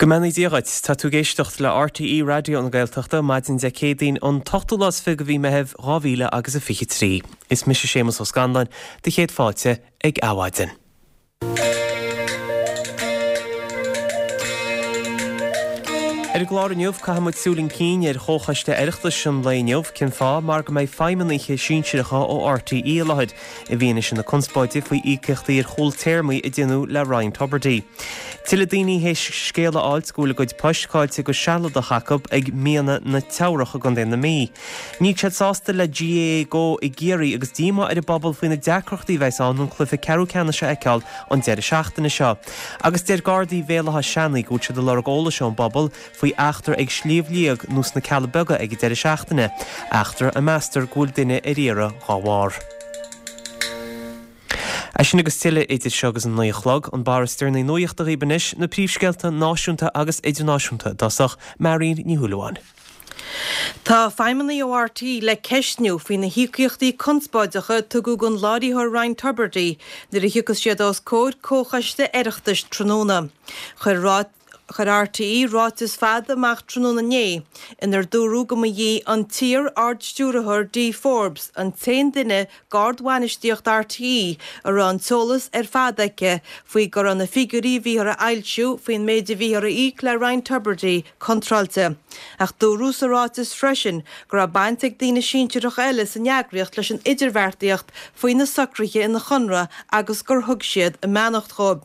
Go mbeannaí Dia dhuit. Tá tú ag éisteacht le RTÉ Raidió na Gaeltachta, maidin Dé Céadaoin an t-ochtú lá is 20 de mhí Meithimh 2000 agus a 23. Is mise Séamus Ó Scanláin, do chéad fáilte ag Adhmhaidin. Ar an gclár inniu, caithfidh muid súil chun cinn ar Chomhchoiste Oireachtais an lae inniu, cén fáth? Mar go mbeidh feidhmeannaithe sinsearacha ó RTÉ i láthair. i bhfianaise na conspóide faoi íocaíochtaí ar chúl téarmaí a déanadh le Ryan Tubridy. Tuilleadh daoine théis scéala a fháilt go bhfuil a gcuid poist caillte go sealadach acu ag Mianaigh na Teamhrach i gContae na Mí. Níl siad sásta le GAA Go i gCiarraí agus díomá ar an bpobal faoi na deacrachtaí a bheas ann an cluiche ceathrú ceannais a fheiceáil an deireadh seachtaine seo. Agus deir Gardaí Bhéal Átha Seanaidh go bhfuil siad ag lorg eolais ón bpobal faoi eachtra ag Sliabh Liag nó sna Cealla Beaga ag an deireadh seachtaine, eachtra a meastar go bhfuil duine ar iarraidh dhá bharr. É sin agus tuilleadh idir seo agus an 9 a chlog, an barra is deireanaí nuachta dhaoibh anois, na príomhscéalta náisiúnta agus idirnáisiúnta i dtosach, Marion Ní Shúilleabháin. Tá feidhmeannaigh ó RTÉ le ceistniú faoi na híocaíochtaí conspóideacha a tugadh don láiritheoir Ryan Tubridy nuair a thiocfas siad os comhair comhchoiste Oireachtais tráthnóna. Chuir Chuir RTÉ ráiteas fada amach tráthnóna inné inar dúradh go mba í an t-iar-Ard-Stiúrthóir Dee Forbes an t-aon duine d'ardbhainistíocht RTÉ a raibh an t-eolas ar fad aici faoi go raibh na figiúirí a bhíothar a fhoilsiú faoin méid a bhíothar a íoc le Ryan Tubridy contráilte. Ach dúradh sa ráiteas freisin go raibh baint ag daoine sinsearacha eile san eagraíocht leis an idirbheartaíocht faoi na socruithe ina chonradh agus gur thug siad a mbeannacht dhóibh.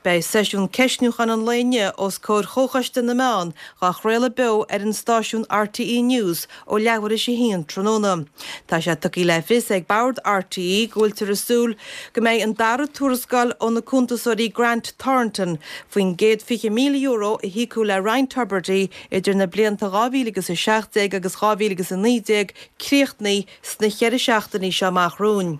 Beidh seisiún ceistniúcháin an lae inniu os comhair Chomhchoiste na Meán dhá chraoladh beo ar an stáisiún RTÉ News ó leathuair théis a haon tráthnóna. Tá sé tugtha le fios ag Bord RTÉ go bhfuiltear ag súil go mbeidh an dara tuarascáil ó na cuntasóirí Grant Thornton faoin gcéad €20,000 a híocadh le Ryan Tubridy idir na blianta 2017 agus 2019 críochnaithe sna cheithre seachtainí seo amach romhainn.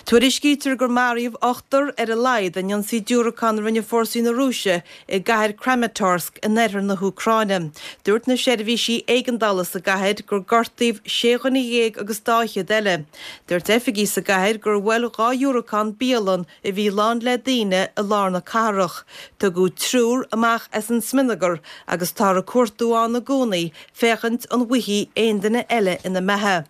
Tuairiscítear gur maraíodh ochtar ar a laghad in ionsaí diúracán a rinne fórsaí na Rúise i gcathair Kramatorsk in oirthear na hÚcráine. Dúirt na seirbhísí éigeandála sa gcathair gur gortaíodh sé dhuine dhéag agus dáichead eile. Dúirt oifigigh sa gcathair gur bhuail 2 dhiúracán bialann a bhí lán le daoine i lár na cathrach. Tugadh triúr amach as an smionagar agus táthar ag cuartú ann i gcónaí féachaint an bhfaighfí aon duine eile ina mbeatha.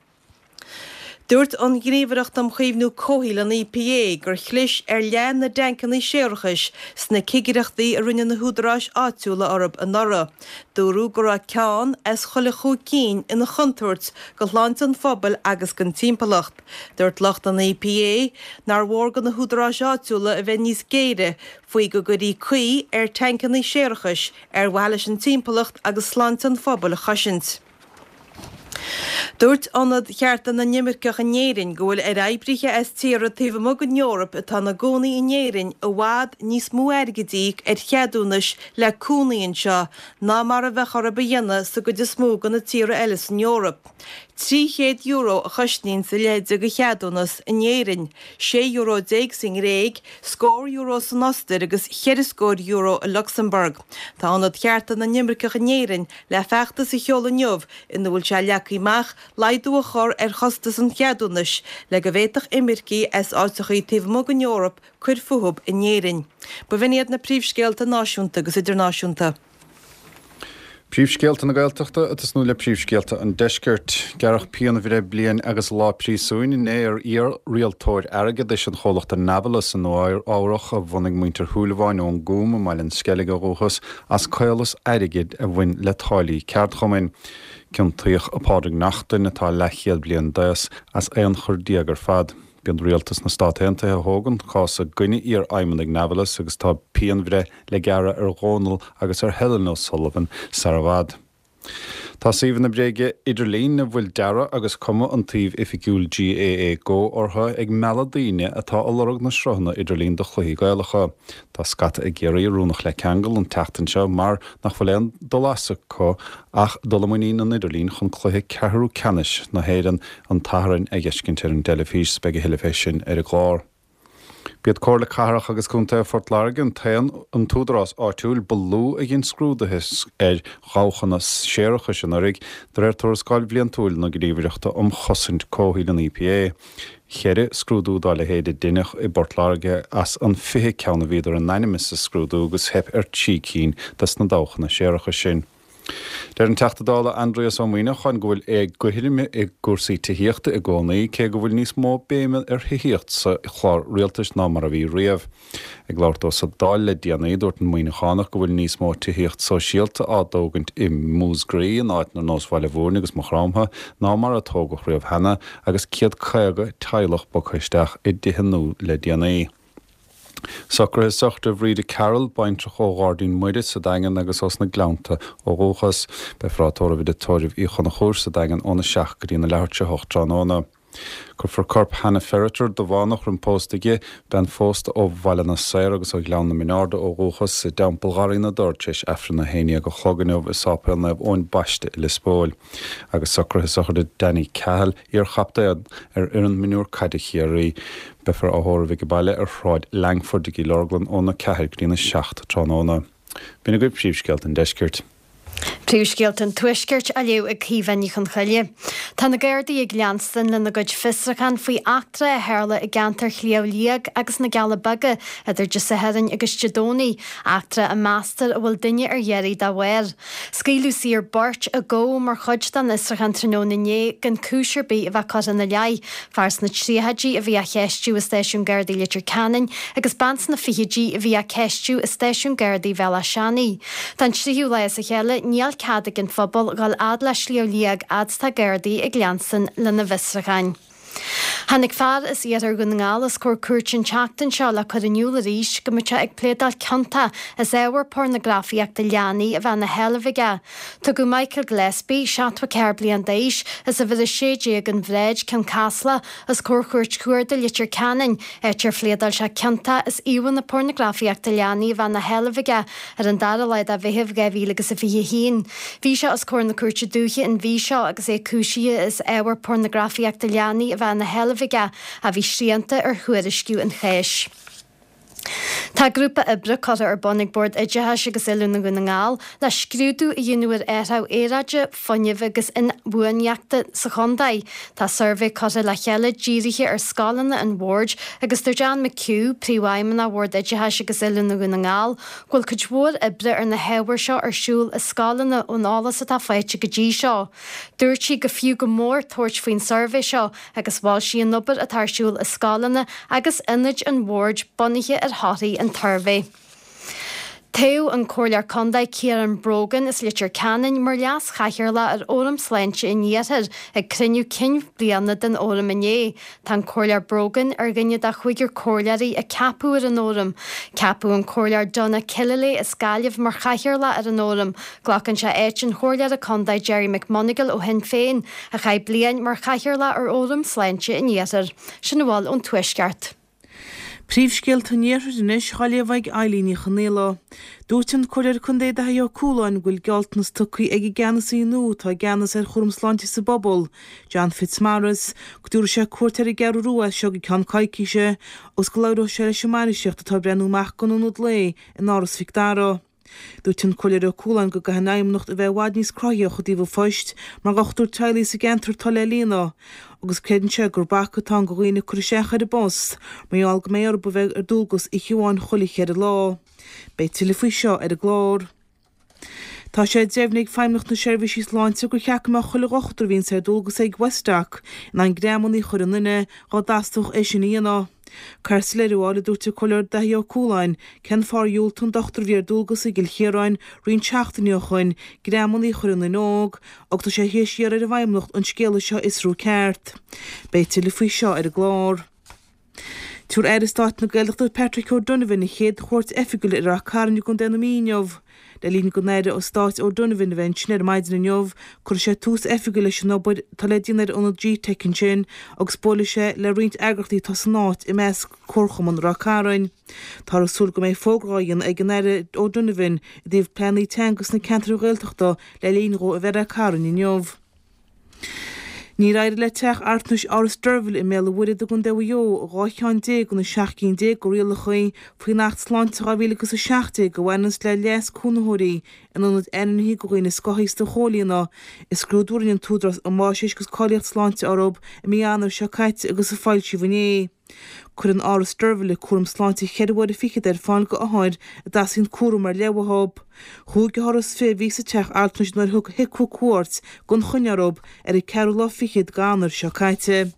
Dúirt an Ghníomhaireacht um Chaomhnú Comhshaoil, an EPA, gur chlis ar leath na dtancanna séarachais sna cigireachtaí a rinne na húdaráis áitiúla orthu anuraidh. Dúradh go raibh ceann as chuile chúig cinn ina chontúirt do shláinte an phobail agus don timpeallacht. Dúirt lucht an EPA nár mhór do na húdaráis áitiúla a bheith níos géire faoi go gcuirfí caoi ar tancanna séarachais ar mhaithe leis an timpeallacht agus sláinte an phobail a chosaint. Dúirt Ionad Chearta na nImirceach in Éirinn go bhfuil ar oibrithe as tíortha taobh amuigh den Eoraip atá ina gcónaí in Éirinn i bhfad níos mó airgid a íoc ar cheadúnais le cónaí anseo ná mar a bheadh orthu a dhéanamh sa gcuid is mó de na tíortha eile san Eoraip. €300 a chosnaíonns a leithéid de cheadúnas in Éirinn, €16 sa nGréig, scór euro san Ostair agus cheithre scór euro i Lucsamburg. Tá Ionad Chearta na nImirceach in Éirinn le feachtas a sheoladh inniu ina bhfuil sé leagtha amach laghdú a chur ar chostas an cheadúnais le go bhféadfadh imircigh as áiteachaí taobh amuigh den Eoraip cur fúthu in Éirinn. B'in iad na príomhscéalta náisiúnta agus idirnáisiúnta. Príomhscéalta na Gaeltachta ag tosnú le príomhscéalta an Deiscirt. Gearradh pianbhreith bliain agus lá príosúin inné ar iar-rialtóir airgeadais an chomhlachta Navillus i Nua Eabhrach a bhunaigh muintir Shúilleabháin ón gCúm i mBaile an Sceilg ó dhúchas as caolas airgid a bhain le táillí ceardchumainn. Ciontaíodh Pádraig Neachtain, atá leathchéad bliain d'aos, as 11 chor ar fad. B'iad rialtas na Stát Aontaithe a thóg an cás i gcoinne iarfheidhmeannaigh Navillus agus tá pianbhreith le gearradh ar Dhónal agus ar Helen O'Sullivan sar i bhfad. Tá suíomhanna bréige idirlín a bhfuil dearadh agus cuma an tsuímh oifigiúil GAA Go orthu ag mealladh daoine atá ag lorg na sruthanna idirlín do chluichí Gaelacha. Tá scata i gCiarraí rúnach le ceangal an tseachtain seo mar nach bhfuil aon dul as acu ach dul i muinín an idirlín chun cluiche ceathrú ceannais na hÉireann an tSathairn a dh'fheiscint ar an dteilifís. Beidh a thuilleadh fé sin ar an gclár. B'iad Comhairle Cathrach agus Contae Phort Láirge an t-aon an t-údarás áitiúil ba lú a dhein scrúduithe ar dhabhchanna séarachais anuraidh, de réir tuarascáil bhliantúil na Gníomhaireachta um Chosaint Comhshaoil, an EPA. Cheithre scrúdú dá leithéid a deineadh i bPort Láirge as an 20 ceann a bhíodar in ainm is a scrúdú agus theip ar thrí cinn des na dabhchanna séarachais sin. Deir an Teachta Dála Aindrias Ó Muimhneacháin go bhfuil éagothroime i gcúrsaí tithíochta i gcónaí, cé go bhfuil níos mó béime ar thithíocht sa chlár rialtais ná mar a bhí riamh. Ag labhairt dó sa Dáil le déanaí, dúirt an Muimhneachánach go bhfuil níos mó tithíocht sóisialta á dtógaint i Múscraí in áiteanna ar nós Bhaile Bhúirne agus Maigh Chromtha ná mar a tógadh riamh cheana agus 150 teaghlach bogtha isteach i dtithe nua le déanaí. Socruithe sochraide Bhríde Carroll, baintreach ó Ghairdín Muire sa Daingean agus ós na Gleannta ó dhúchas. Beifear á tórramh i dTigh Tórraimh Uí Chonchúir sa Daingean óna 7 go dtí na leathuair tar éis a 8 tráthnóna. Cuirfear corp Hannah Ferriter, Dubhánach, roim pósta di, bean phósta ó Bhaile na Saor agus ó Ghleann na Mionn Airde ó dhúchas, i dTeampall Gharraí na dTor tar éis Aifreann a 11 a chlog inniu i Sáipéal Naomh Eoin Baiste i Lios Póil. Agus socruithe sochraide Danny Cahill, iar-chaptaen ar fhoireann mionúr caide Chiarraí. Beifear á thórramh ag baile ar Shráid Langford i gCill Orglan óna 4 go dtína 7 tráthnóna. B'in agaibh príomhscéalta an deiscirt. Príomhscéalta an Tuaiscirt á léamh ag Caoimhe Ní Chonchoille. Tá na Gardaí ag leanstan lena gcuid fiosrúchán faoi eachtra a tharla i gceantar Shliabh Liag agus na gCealla Beaga idir Dé Sathairn agus Dé Domhnaigh, eachtra a meastar a bhfuil duine ar iarraidh dá bharr. Scaoileadh saor beirt a gabhadh mar chuid den fhiosrúchán tráthnóna inné gan cúis ar bith a bheith curtha ina leith, fear sna tríochaidí a bhí á cheistiú i Stáisiún Gardaí Leitir Ceanainn agus bean sna fichidí a bhí á ceistiú i Stáisiún Gardaí Bhéal Átha Seanaidh. Don tríú lá as a chéile níl cead ag an phobal dhul fhad le Sliabh Liag fhad 's tá Gardaí ag leanstan lena bhfiosrúcháin. Tháinig fear as iarthar Dhún na nGall os comhair cúirte an tseachtain seo le cur in iúl arís go mbeadh sé ag pléadáil ciontach as ábhar pornagrafaíochta leanaí a bheith ina sheilbh aige. Tugadh Michael Gillespie, 74 bliain d'aois, as uimhir 16 An Bhráid, Cionn Caslach, os comhair Chúirt Chuarda Leitir Ceanainn, áit ar phléadáil sé ciontach as íomhánna pornagrafaíochta leanaí a bheith ina sheilbh aige ar an dara lá de Mheitheamh 2021. Bhí sé os comhair na Cúirte Dúiche an mhí seo agus é cúisithe as ábhar pornagrafaíochta leanaí a bheith ina sheilbh aige a bhí srianta ar thuairisciú an cháis. Tá grúpa oibre curtha ar bun ag Bord Oideachais agus Oiliúna Dhún na nGall le scrúdú a dhéanamh ar athrú aeráide, fuinnimh agus inbhuanaitheachta sa chontae. Tá suirbhé curtha le chéile dírithe ar scoileanna an Bhoird agus dúirt Anne McHugh, Príomhfheidhmeannach Bhord Oideachais agus Oiliúna Dhún na nGall, go bhfuil cuid mhór oibre ar na hábhair seo ar siúl i scoileanna ón eolas atá faighte go dtí seo. Dúirt sí go fiú go mór tabhairt faoin suirbhé seo agus mhol sí an obair atá ar siúl i scoileanna agus ionaid an Bhoird bunaithe ar thorthaí an tsuirbhé. Toghadh an Comhairleoir Contae Ciarán Brogan as Leitir Ceanainn mar Leas-Chathaoirleach ar Fhóram Sláinte an Iarthair ag cruinniú cinn bliana den Fhóram inné. Tá an Comhairleoir Brogan ar dhuine de chúigear comhairleoirí a ceapadh ar an Fhóram. Ceapadh an Comhairleoir Donagh Killilea as Gaillimh mar Chathaoirleach ar an Fhóram. Glacann sé áit an Chomhairleora Contae Gerry McMonagall ó Shinn Féin, a chaith bliain mar Chathaoirleach ar Fhóram Sláinte an Iarthair. Sin a bhfuil ón Tuaisceart. Príomhscéalta an Iarthair anois á léamh ag Eilín Ní Chonaola. Dúirt an Comhairleoir Contae Daithí Ó Cualáin go bhfuil gealltanas tugtha ag an gceannasaí nua atá i gceannas ar chúram sláinte sa bpobal, John Fitzmaurice, go dtabharfaidh sé cuairt ar an gCeathrú Rua as seo go ceann coicíse agus go labhróidh sé leis an mbainistíocht atá ag breathnú amach don ionad lae in Áras Mhic Dara. Dúirt an Comhairleoir Ó Cualáin go gcaithfidh an Fheidhmeannacht a bheith i bhfad níos cruthaithí i dtaobh an phoist mar dhochtúir teaghlaigh sa gceantar atá le líonadh agus creideann sé gur bac atá ann do dhaoine cur isteach ar an bpost mar gheall go mbeidh orthu a bheith ar dualgas oíche amháin chuile cheithre lá. Beidh tuilleadh faoi seo ar an gclár. Tá sé deimhnithe ag Feidhmeannacht na Seirbhísí Sláinte gur cheart go mbeadh chuile dhochtúir a bhíonns ar dualgas ag Westdoc in ann greamannaí a chur i nduine dhá dteastódh é sin a dhéanamh. Caithfear soiléiriú a fháil, a dúirt an Comhairleoir Daithí Ó Cualáin, cén fáth ar dhiúltaigh an dochtúir a bhí ar dualgas i gCill Chiaráin roinnt seachtainí ó shoin greamannaí a chur i nduine óg agus tá sé théis iarraidh ar an bhFeidhmeannacht an scéala seo a fhiosrú ceart. Beidh tuilleadh faoi seo ar an gclár. Tabharfaidh Aire Stáit na Gaeltachta Patrick O'Donovan a chéad chuairt oifigiúil ar Ráth Cairn i gContae na Mí inniu. Le linn don Aire Stáit O'Donovan a bheith ansin ar maidin inniu, cuirfidh sé tús oifigiúil leis an obair atá le déanamh ar ionad G-Teic ansin agus buailfidh sé le roinnt eagraíochtaí atá san áit, i measc Comharchumann Ráth Cairn. Táthar ag súil go mbeidh fógra á dhéanamh ag an Aire O'Donovan i dtaobh pleananna teanga sna ceantair Ghaeltachta le linn dhó a bheith i Ráth Cairn inniu. Níor éirigh le teach altranais Áras Deirbhile i mBéal an Mhuirthead i gContae Mhaigh Eo 12 cheann de na 17 cinn de rialacha faoin Acht Sláinte 2017 a bhaineanns le leigheas cónaitheoirí in ionaid ainmnithe do dhaoine scothaosta a chomhlíonadh i scrúdú a rinne an tÚdarás um Fháisnéis agus Cáilíocht Sláinte orthu i mí Eanáir seo caite agus a foilsíodh inné. Cuireann Áras Deirbhile cúram sláinte cheithre huaire fichead ar fáil go othair a dteastaíonn cúram ar leith uathu. Chúig othar is 20 a bhí sa teach altranais nuair a thug HIQA cuairt gan choinne orthu ar an ceathrú lá fichead d'Eanáir seo caite.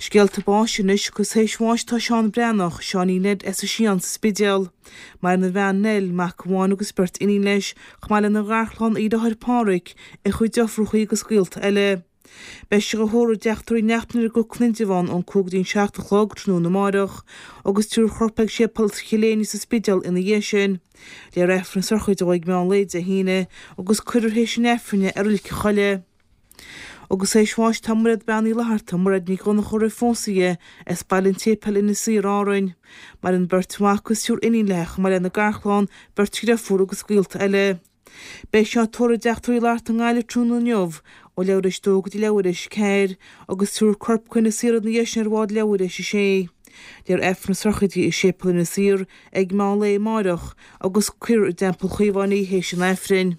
Scéalta báis anois agus théis bháis tá Seán Breathnach, Seáinín Ned as an Sián sa Spidéal. Maireann a bhean Nell, mac amháin agus beirt iníon leis, chomh maith lena gharchlann, a dheartháir Páraic, a chuid deirfiúrachaí agus gaolta eile. Beidh sé á thórramh i dTeach Tórraimh Uí Neachtain ar an gCnoc in Indreabhán ón 5 go dtí an 7 a chlog tráthnóna amáireach agus tabharfar a chorp ag Séipéal Chill Éinne sa Spidéal ina dhiaidh sin. Léifear Aifreann na sochraide dó ag meán lae Dé hAoine agus cuirfear théis an Aifrinn é i Reilig an Choilligh. Agus théis bháis tá Mairéad Bean Uí Fhlatharta, Mairéad Ní Dhonncha roimh phósadh di, as Baile an tSéipéil, Inis Oírr, Árainn. Maireann beirt mhac agus triúr iníon léi chomh maith lena garchlann, beirt dhriofúr agus gaolta eile. Beidh sí á tórramh i dTeach Tórraimh Uí Fhlatharta i nGaillimh tráthnóna inniu ó leathuair théis a dó go dtí leathuair théis a ceathair agus tabharfar a corp go hInis Oírr ina dhiaidh sin ar bhád leathuair théis a sé. Léifear Aifreann na sochraide i Séipéal Inis Oírr ag meán lae amáireach agus cuirfear i dTeampall Chaomháin í théis an Aifrinn.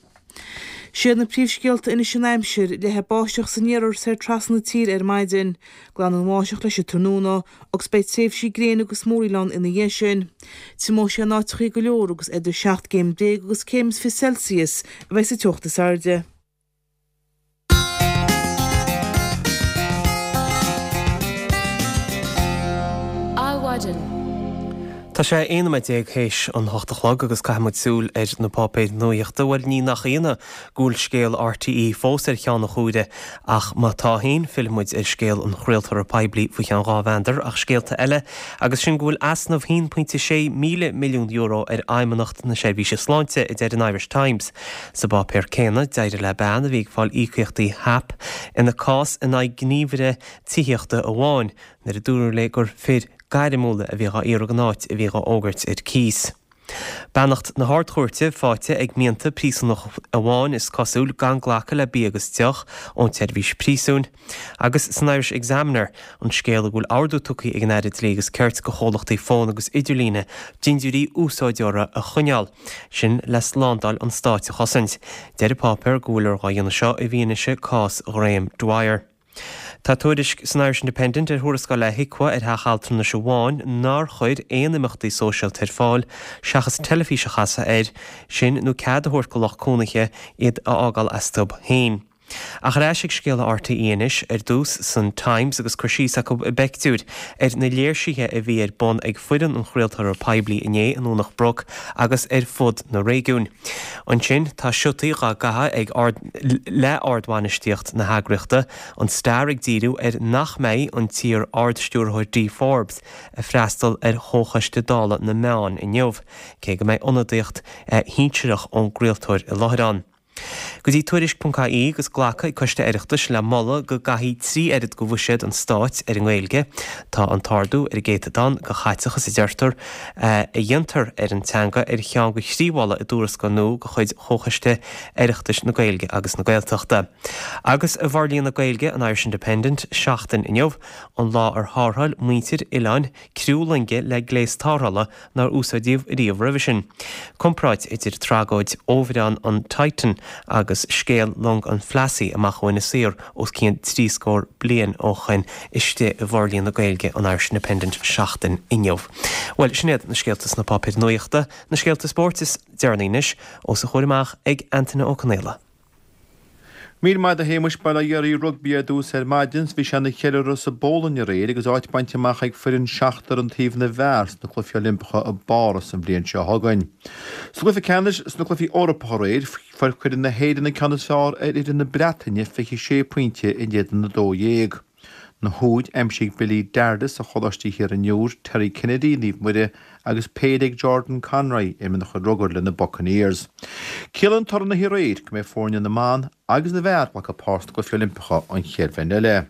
Siad na príomhscéalta anois an aimsir, leathfaidh báisteach san iarthar soir trasna na tíre ar maidin. Glanfaidh an bháisteach leis an tráthnóna agus beidh tréimhsí gréine agus múraíl ann ina dhiaidh sin. Triomóidh sé in áiteachaí go leor agus idir 17 gcéim agus céim is 20 Celsius a bheidh sa teocht is airde. Adhmhaidin. Tá sé 11 nóiméad théis an hocht a chlog agus caithfidh muid súil ar na páipéir nuaíochta. Bhuel, ní nach ionadh go bhfuil scéal RTÉ fós ar cheann an chomhaire ach má tá féin, fillfidh muid ar scéal an chraoltóra poiblí faoi cheann dhá mheandar. Ach scéalta eile agus sin go bhfuil easnamh €1.6 míle milliún ar Fheidhmeannacht na Seirbhíse Sláinte, a deir an Irish Times. Sa bpáipéar céanna, d'éirigh le bean a bhí ag fáil íocaíochtaí HAP ina cás in aghaidh gníomhaire tithíochta amháin nuair a dúradh léi gur fir gairmiúla a bhí dhá iarraidh an áit a bhí dhá fhógairt ar cíos. Beannacht na hArd-Chúirte faighte ag mianta príosúnach amháin, is cosúil, gan glacadh le bia agus deoch ón tseirbhís príosúin. Agus san Irish Examiner, an scéal go bhfuil ordú tugtha ag an Aire Dlí agus Cirt go chomhlachtaí fóin agus idirlíne dintiúirí úsáideora a choinneáil, sin le slándáil an stáit a chosaint. Deir an páipéar go bhfuiltear dhá dhéanamh seo i bhfianaise cás Ghráeme Dwyer. Tá tuairisc san Irish Independent ar thuarascáil le HIQA ar theach altranais amháin nár chuir aon imeachtaí sóisialta ar fáil seachas teilifís a chasadh air, sin nó cead a thabhairt go lucht cónaithe iad a fhágáil astu féin. Ach ar ais ag scéala RTÉ anois, ar dtús san Times agus cur síos acu i bpeictiúir ar na léirsithe a bhí ar bun ag foireann an chraoltóra poiblí inné i nDomhnach Broc agus ar fud na réigiúin. Ansin tá siotaí dhá gcaitheamh ag ard le ardbhainistíocht na heagraíochta, an Star ag díriú ar nach mbeidh an t-iar-Ard-Stiúrthóir Dee Forbes ag freastal ar Chomhchoiste Dála na Meán inniu, cé go mbeidh ionadaíocht shinsearach ón gcraoltóir i láthair ann. Go dtí Tuairisc.ie agus glactha ag Coiste Oireachtais le moladh go gcaithfí 3 oiread de bhuiséad an stáit ar an nGaeilge. Tá an t-ardú ar an gcéatadán de chaiteachas a deirtear a dhéantar ar an teanga ar cheann de thrí mholadh i dtuarascáil nua de chuid Chomhchoiste Oireachtais na Gaeilge agus na Gaeltachta. Agus i bhforlíonadh Gaeilge an Irish Independent, seachtain inniu, an lá ar thárrtháil muintir oileáin criú loinge le gléas tarrthála nár úsáideadh riamh roimhe sin. Comparáid idir tragóid fhomhuireán an Titan agus scéal long an Phlassey amach ó Inis Oírr os cionn trí scór bliain ó shoin istigh i bhforlíonadh Gaeilge an Irish Independent seachtain inniu. Bhuel, sin iad na scéalta sna páipéir nuachta, na scéalta spóirt is deireanaí anois, os a chomhair amach ag Antaine Ó Conaola. Míle maith agat a Shéamuis, Bail ó Dhia oraibh Rugbaí ar dtús ar maidin. Bhí sé ina cheiliúradh sa bPólainn aréir agus áit bainte amach ag foireann seachtar an taobh na bhfear sna Cluichí Oilimpeacha i bPáras an bhliain seo chugainn. Sa gcluiche ceannais sna Cluichí Eorpacha aréir, fuair foireann na hÉireann an ceann is fearr ar fhoireann na Breataine 26 pointe in éadan 12. Na húid, aimsigh Billy Dardis ó Choláiste Thiar an Iúir, Terry Kennedy, Naomh Muire, agus péire ag Jordan Conroy, uimhir a chuid rugair le na Buccaneers. Ciallaíonn toradh na haréir go mbeidh foirne na mban agus na bhfear ag glacadh páirt sna Cluichí Oilimpeacha an chéad bhliain eile.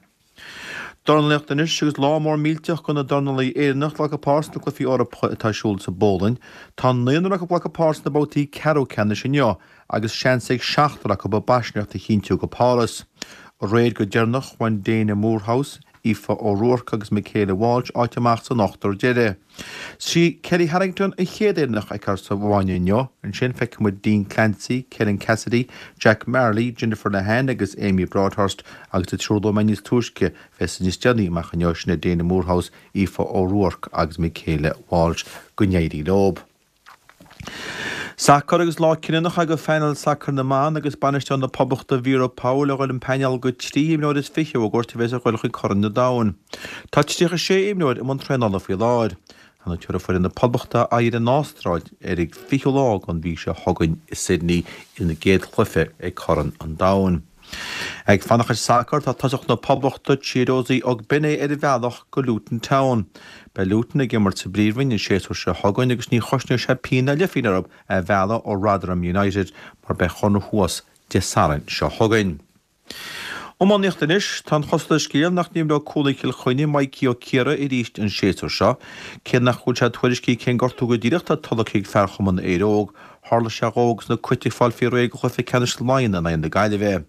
Dornálaíocht anois agus lá mór millteach do na dornálaithe Éireannach ag glacadh páirt sna Cluichí Eorpacha atá ar siúl sa bPólainn. Tá naonúr acu ag glacadh páirt sna babhtaí ceathrú ceannais inniu agus seans ag seachtar acu a bpaiseanracht a chinntiú go Páras. Aréir go deireanach, bhain Dana Moorhouse, Aoife O'Rourke agus Michaela Walsh áit amach san ochtar deiridh. Sí Kellie Harrington an chéad Éireannach a fheicfear sa bhfáinne inniu. Ansin feicfidh muid Dean Clancy, Karen Cassidy, Jack Marley, Jennifer Lehane agus Amy Broadhurst agus an triúr a luaigh mé níos túisce, bheas níos déanaí amach inniu, sin iad Dana Moorhouse, Aoife O'Rourke agus Michaela Walsh. Go n-éirí leo. Sacar agus lá cinniúnach é do phainéal sacair na mban agus bainisteoir na Poblachta Vera Pauw le dhul an painéal de 23 imreoir a fhógairt a bheas ag dhul chuig Corn an Domhain. Tá 36 imreoir i mbun traenála faoi láthair. Ar ndóigh tabharfaidh foireann na Poblachta aghaidh ar an Astráil ar an 20ú lá den mhí seo chugainn i Sydney ina gcéad chluiche ag Corn an Domhain. Ag fanacht ar sacar, tá tosach na Poblachta, Chiedozie Ogbene ar a bhealach go Luton Town. Beidh Luton ag imirt sa bPríomhroinn an séasúr seo chugainn agus ní chosnóidh sé pingin ná leithphingin orthu é a mhealladh ó Rotherham United mar beidh conradh thuas Dé Sathairn seo chugainn. Iománaíocht anois, tá an chosúil ar an scéal nach n-imreoidh cúlaí Chill Chainnigh, Mikey Ó Ciaraidh arís an séasúr seo. Cé nach bhfuil sé tuairiscithe cén gortú go díreach atá tolgtha ag fear chumann Éire Óg, Tharla sé dhó agus na Cait ag fáil faoi réir do chluiche ceannais Laighean in aghaidh na Gaillimhe.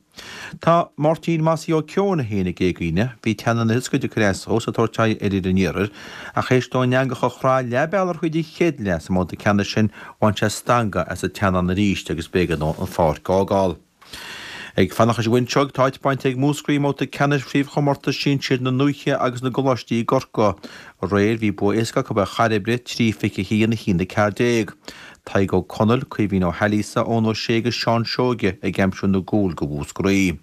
Tá Máirtín Mossie Ó Ceoin féin ag éagaoineadh. Bhí teannán na hioscaide ag cur as dhó is ag tabhairt aghaidh ar fhir an iarthair, ach théis dó an eangach a chrá leath bealaigh thríd an chéad leath sa mbabhta ceannais sin, bhain sé stangadh as an teannán arís agus b'éigean dó an pháirc a fhágáil. Ag fanacht leis an bhfuinseog, tá áit bainte ag Múscraí i mbabhta ceannais Chraobhchomórtas Sinsir na nDúiche agus na gColáistí i gCorcaigh. Aréir, bhí bua éasca acu ar Chairbre, 3 21, 1 14. Tadhg Ó Conaill, Caoimhín Ó hAilíosa, Eoin Ó Sé agus Seán Seoige ag aimsiú na gcúl do Mhúscraí.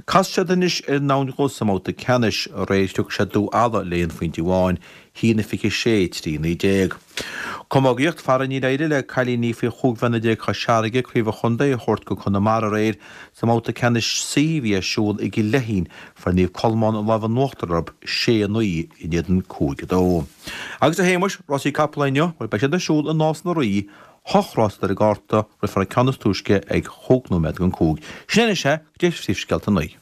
Casfaidh siad anois ar an Abhainn Dhubh sa mbabhta ceannais. Aréir, shroich siad Dún Ealla le aon phointe amháin, 1 26, 3 19. Camógaíocht, fara níor éirigh le cailíní faoi 15 bhliana Chois Fharraige craobh an chontae a thabhairt go Conamara aréir sa mbabhta ceannais C a bhí ar siúl i gCill Leithín. Fuair Naomh Colmán an lámh in uachtar orthu 6, 9 in éadan 5, 2. Agus a Shéamais, rásaí capall inniu, bhuel beidh siad ar siúl i Nás na Rí, hocht rás ar an gcárta, rithfear an ceann is túisce ag chúig nóiméad don cúig. Sin é anois é, go dtí phríomhscéalta a naoi.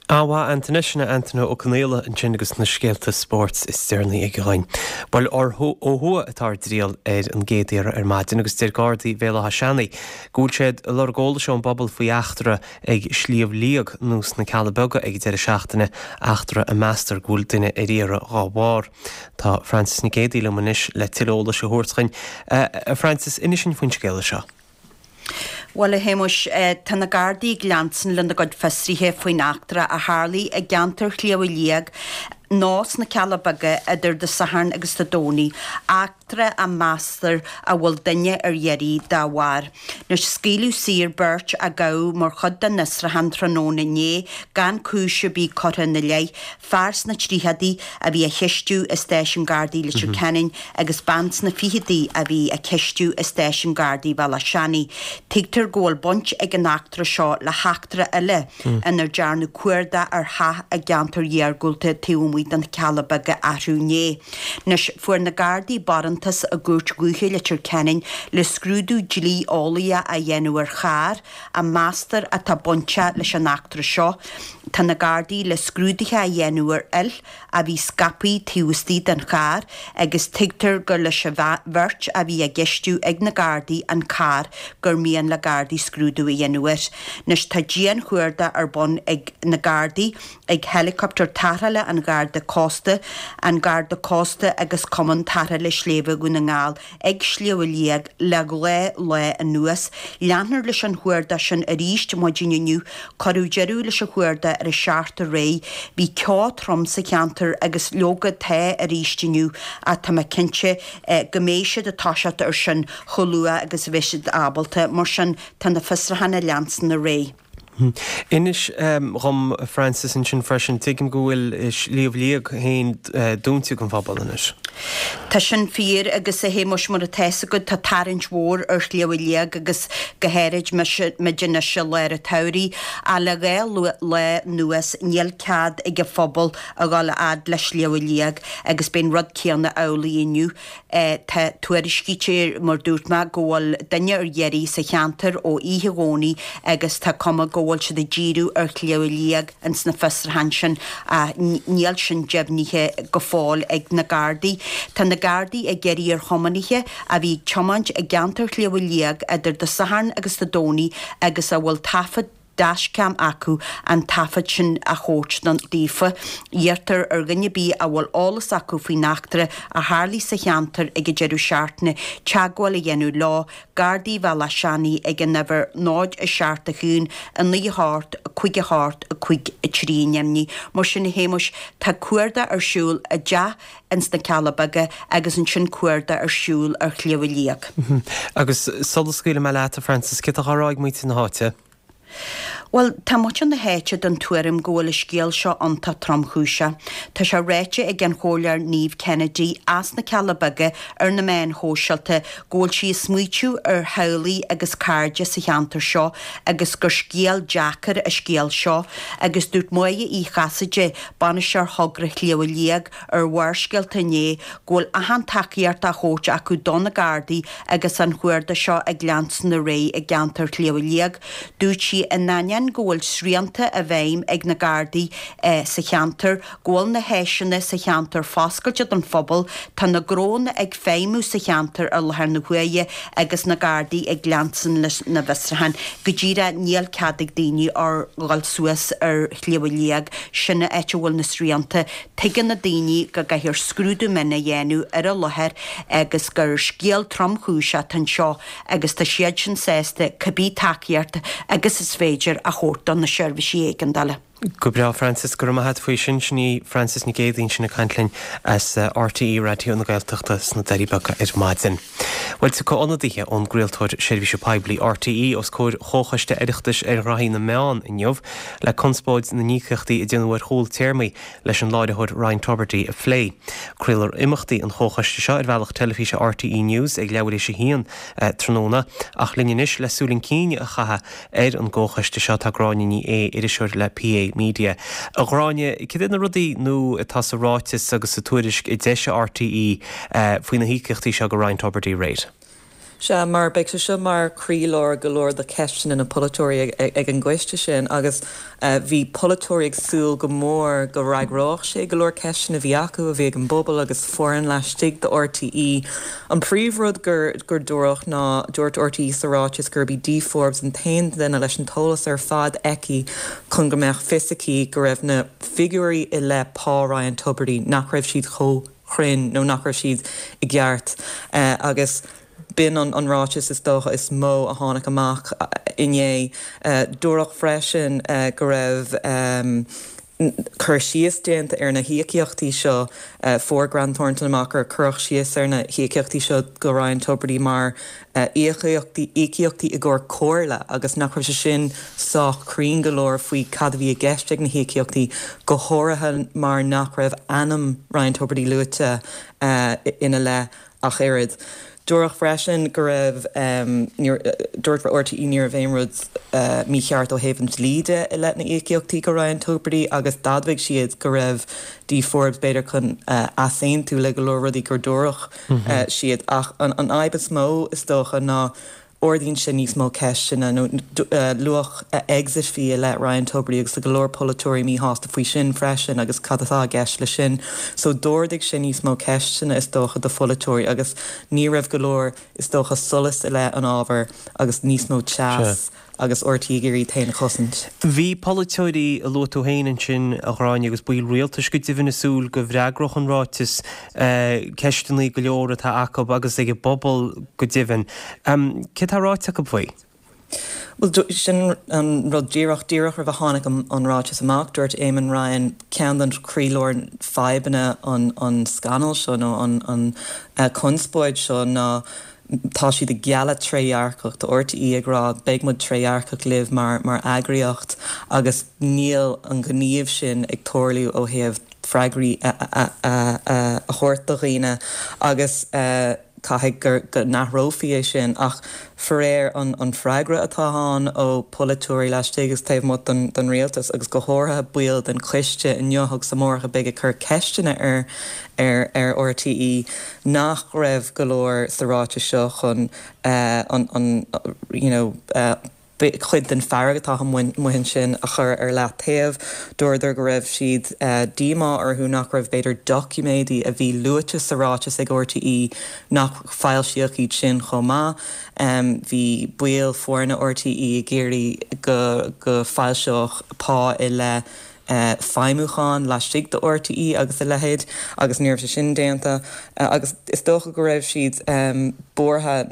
An-mhaith Antaine, sin é Antaine Ó Conaola ansin agus na scéalta spóirt is deireanaí aige dhuinn. Bhuel, ó thuaidh atá ár dtriall ar an gcéad iarraidh ar maidin agus deir Gardaí Bhéal Átha Seanaidh go bhfuil siad ag lorg eolais ón bpobal faoi eachtra ag Sliabh Liag nó sna Cealla Beaga ag an deireadh seachtaine, eachtra a meastar go bhfuil duine ar iarraidh dhá bharr. Tá Frances Nic Géadaigh liom anois le tuilleadh eolais a thabhairt dhuinn. A Frances, inis dhuinn faoin scéala seo. Bhuel, a Shéamuis, tá na Gardaí ag leanstan lena gcuid fiosruithe faoin eachtra a tharlaigh i gceantar Shliabh Liag nó sna Cealla Beaga idir Dé Sathairn agus Dé Domhnaigh, eachtra a meastar a bhfuil duine ar iarraidh dá bharr. Anois, scaoileadh saor beirt a gabhadh mar chuid den fhiosrúchán tráthnóna inné gan cúis ar bith curtha ina leith. Fear sna tríochadaí a bhí á cheistiú i Stáisiún Gardaí Leitir Ceanainn agus bean sna ficheadaí a bhí á ceistiú i Stáisiún Gardaí Bhéal Átha Seanaidh. Tuigtear go bhfuil baint ag an eachtra seo le heachtra eile inar dearnadh cuardach ar theach i gceantar iargúlta taobh amuigh de na Cealla Beaga arú inné. Anois, fuair na Gardaí barántas i gCúirt Dhúiche Leitir Ceanainn le scrúdú dlí-eolaíoch a dhéanamh ar charr a meastar atá bainteach leis an eachtra seo. Tá na Gardaí le scrúduithe a dhéanamh ar fhuil a bhí scaipthe taobh istigh den charr agus tuigtear gur leis an bheirt a bhí á gceistiú ag na Gardaí an carr gur mian le Gardaí scrúdú a dhéanamh air. Anois tá dian-chuardach ar bun ag na Gardaí, ag Helicopter Tarrthála an Gharda Cósta, an Garda Cósta agus Cumann Tarrthála Sléibhe Dhún na nGall ag Sliabh Liag le dhá lá anuas. Leanfar leis an chuardach sin arís maidin inniu. Cuireadh deireadh leis an chuardach ar a seacht aréir. Bhí ceo trom sa cheantar agus leoga tá arís inniu ach tá mé cinnte go mbeidh siad ag toiseacht ar sin chomh luath agus a bheidh siad ábalta. Mar sin tá na fiosrúcháin ag leanstan ar aghaidh. Inis dhom, a Frances, ansin freisin, tuigim go bhfuil Sliabh Liag féin dúnta don phobal anois. Tá sin fíor agus a Shéamuis, mar atá fhios agat, tá tarraingt mhór ar Shliabh Liag agus go háirid muid anois i lár an tsamhraidh. Ach le dhá lá anuas níl cead ag an phobal a dhul a fhad le Sliabh Liag agus beidh an rud céanna amhlaidh inniu. Tá tuairiscítear, mar dúirt mé, go bhfuil duine ar iarraidh sa cheantar ó oíche Dhomhnaigh agus tá cuma go bhfuil siad ag díriú ar Shliabh Liag ins na fiosrúcháin sin ach níl sin deimhnithe go fóill ag na Gardaí. Tá na Gardaí ag iarraidh ar thiománaithe a bhí ag tiomáint i gceantar Shliabh Liag idir Dé Sathairn agus Dé Domhnaigh agus a bhfuil taifead. dashcam acu an taifead sin a thabhairt daofa. Iarrtar ar dhuine ar bith a bhfuil eolas acu faoin eachtra a tharlaigh sa cheantar ag an deireadh seachtaine teagmháil a dhéanamh leo, Gardaí Bhealach Seanaidh ag an uimhir 0 7 1 9 8 5 8 5 3 ainmnigh. Mar sin a Shéamuis, tá cuardach ar siúl i dteach ins na Cealla Beaga agus ansin cuardach ar siúl ar Shliabh Liag. Agus sula scaoilfidh mé leat, a Frances, céard atá á rá ag muintir na háite? Bhuel, tá muintir na háite den tuairim go bhfuil an scéal seo iontach tromchúiseach. Tá sé ráite ag an Chomhairleoir Niamh Kennedy as na Cealla Beaga ar na meáin shóisialta go bhfuil sí ag smaoitiú ar theaghlaigh agus cairde sa cheantar seo agus gur scéal deacair an scéal seo agus dúirt Máire Uí Chasaide, Bainisteoir Thogra Shliabh Liag, ar Bharrscéalta inné go bhfuil achan tacaíocht á thabhairt acu do na Gardaí agus an chuardach seo ag leanstan ar aghaidh i gceantar Shliabh Liag. Dúirt sí in ainneoin go bhfuil srianta i bhfeidhm ag na Gardaí sa cheantar, go bhfuil na háiseanna sa cheantar foscailte don phobal, tá na gnónna ag feidhmiú sa cheantar i láthair na huaire agus na Gardaí ag leanstan leis na bhfiosrúcháin. Go díreach níl cead ag daoine dhul suas ar Shliabh Liag, sin an áit a bhfuil na srianta. Tuigeann na daoine go gcaithfear scrúdú mion a dhéanamh ar an láthair agus gur scéal tromchúiseach atá anseo agus tá siadsan sásta cibé tacaíocht agus is féidir a thabhairt do na seirbhísí éigeandála. Go breá, Frances, go raibh maith a't faoi sin. Sin í Frances Nic Géadaigh ansin ag caint linn as RTÉ Raidió na Gaeltachta sna Doirí Beaga ar maidin. Bhuel, tiocfaidh ionadaithe ón gcraoltóir seirbhíse poiblí RTÉ os comhair Chomhchoiste Oireachtais ar Ghraithí na Meán inniu le conspóid na n-íocaíochtaí a déanadh ar chúl téarmaí leis an láithreoir Ryan Tubridy a phlé. Craolfar imeachtaí an chomhchoiste seo ar bhealach teilifíse RTÉ News ag leathuair théis a haon tráthnóna. Ach linn anois le súil chun cinn a chaitheamh ar an gcomhchoiste seo tá Gráinne Ní Aodha, iriseoir le PA Media. A Ghráinne, cad iad na rudaí nua atá sa ráiteas agus sa tuairisc a d'eisigh RTÉ faoi na híocaíochtaí seo go Ryan Tubridy aréir? Sea, mar beidh sé seo mar chroílár go leor de cheisteanna na polaiteoirí ag an gcoiste sin agus bhí polaiteoirí ag súil go mór go bhfreagródh sé go leor ceisteanna a bhí acu, a bhí ag an bpobal agus foireann laistigh de RTÉ. An príomhrud gur gur dúradh ná, dúirt RTÉ sa ráiteas gurb í Dee Forbes an t-aon duine leis an t-eolas ar fad aici chun go mbeadh fios aici go raibh na figiúirí i leith pá Ryan Tubridy, nach raibh siad chomh cruinn nó nach raibh siad i gceart agus b'in an ráiteas is dócha is mó a tháinig amach inné. Dúradh freisin go raibh cur síos déanta ar na híocaíochtaí seo. Fuair Grant Thornton amach gur cuireadh síos ar na híocaíochtaí seo go Ryan Tubridy mar íocaíochtaí íocaíochtaí i gcomhair comhairle agus nach raibh sé sin sách cruinn go leor faoi cad a bhí i gceist ag na híocaíochtaí, go háirithe mar nach raibh ainm Ryan Tubridy luaite ina leith ach oiread. Dúradh freisin go raibh, dúirt RTÉ ní raibh aon rud mícheart ó thaobh an dlí de i leith na n-íocaíochtaí go Ryan Tubridy agus d'admhaigh siad go raibh Dee Forbes b'fhéidir chun easaontú le go leor rudaí gur dúradh siad ach an fhadhb is mó is dócha ná ardaíonn sé níos mó ceisteanna nó luach exit fee i leith Ryan Tubridy agus tá go leor polaiteoirí míshásta faoi sin freisin agus cad atá i gceist leis sin. So d'ardaigh sé níos mó ceisteanna is dócha do pholaiteoirí agus ní raibh go leor is dócha solas i leith an ábhair agus níos mó teas agus RTÉ ag iarraidh iad féin a chosaint. Bhí polaiteoirí a luaigh tú féin ansin, a Ghráinne, agus baill rialtais go deimhin ag súil go bhfreagródh an ráiteas ceisteanna go leor atá acu agus ag an bpobal go deimhin. Céard atá ráite acu faoi? Bhuel, sin an rud díreach, díreach roimh a tháinig an ráiteas amach, dúirt Eamon Ryan, ceann den chroílár fadhbanna an scannal seo nó an chonspóid seo ná tá siad ag gealladh trédhearcacht, tá RTÉ ag rá beidh muid trédhearcach libh mar mar eagraíocht agus níl an gníomh sin ag tarlú ó thaobh freagraí a thabhairt do dhaoine agus caithfidh gur go n-athrófaí é sin ach faraor an an freagra atá ann ó pholaiteoirí laistigh agus taobh amuigh den den rialtas agus go háirithe baill den choiste inniu agus amárach a bheidh ag cur ceisteanna ar ar ar RTÉ nach raibh go leor sa ráiteas seo chun an an you know. Cuid den fearg atá amuigh ansin a chur ar leath-taobh. Dúradar go raibh siad díomá orthu nach raibh b'fhéidir doiciméidí a bhí luaite sa ráiteas ag RTÉ nach foilsíodh iad sin chomh maith. Bhí baill foirne RTÉ ag iarraidh go go foilseodh pá i leith feidhmiúcháin laistigh de RTÉ agus a leithéid agus ní raibh sé sin déanta agus is dócha go raibh siad buartha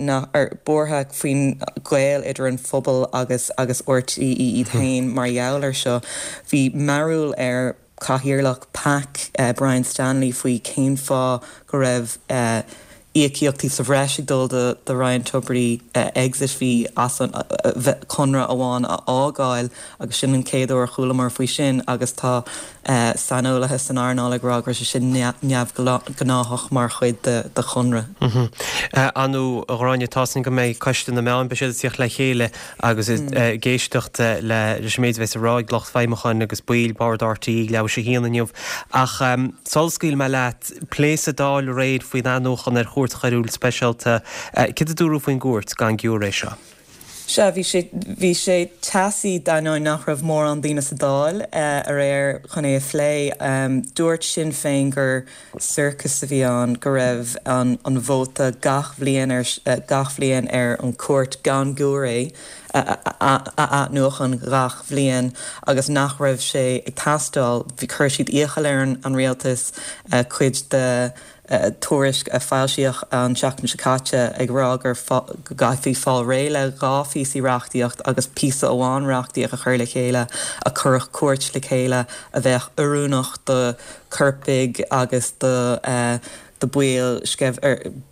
buartha faoin ghaol idir an phobal agus agus RTÉ iad féin mar gheall ar seo. Bhí mearbhall ar chathaoirleach PAC, Brian Stanley faoi cén fáth go raibh íocaíochtaí sa bhreis ag dul do Ryan Tubridy exit fee as an conradh amháin a fhágáil agus sin an chéad uair a chualamar faoi sin agus tá saineolaithe san earnáil ag rá go raibh sé sin neamhghnáthach mar chuid de chonradh. Ar ndóigh, a Ghráinne, tá a fhios againn go mbeidh Coiste na Meán, beidh siad ag tíocht le chéile agus ag éisteacht leis an méid a bheas á rá ag lucht feidhmiúcháin agus baill Bhord RTÉ ag leathuair tar éis a haon inniu. Ach sula scaoilfidh mé leat, plé sa Dáil aréir faoin athnuachan ar Chúirt Choiriúil Speisialta. Céard a dúradh faoin gcúirt gan giúiré seo? Sea, bhí sé, bhí sé teasaí d'ainneoin nach raibh mórán daoine sa Dáil aréir chun é a phlé. Dúirt Sinn Féin gur sorcas a bhí ann, go raibh an an vóta gach bhliain ar gach bhliain ar an chúirt gan giúiré a athnuachan gach bhliain agus nach raibh sé ag teastáil. Chuir siad iachall ar an rialtas cuid de tuairisc a foilsíodh an tseachtain seo caite ag rá gur go gcaithfí fáil réidh le 2 phíosaí reachtaíocht agus píosa amháin reachtaíocht a chur le chéile a chuirfeadh cúirt le chéile a bheadh oiriúnach do choirpigh agus do do baill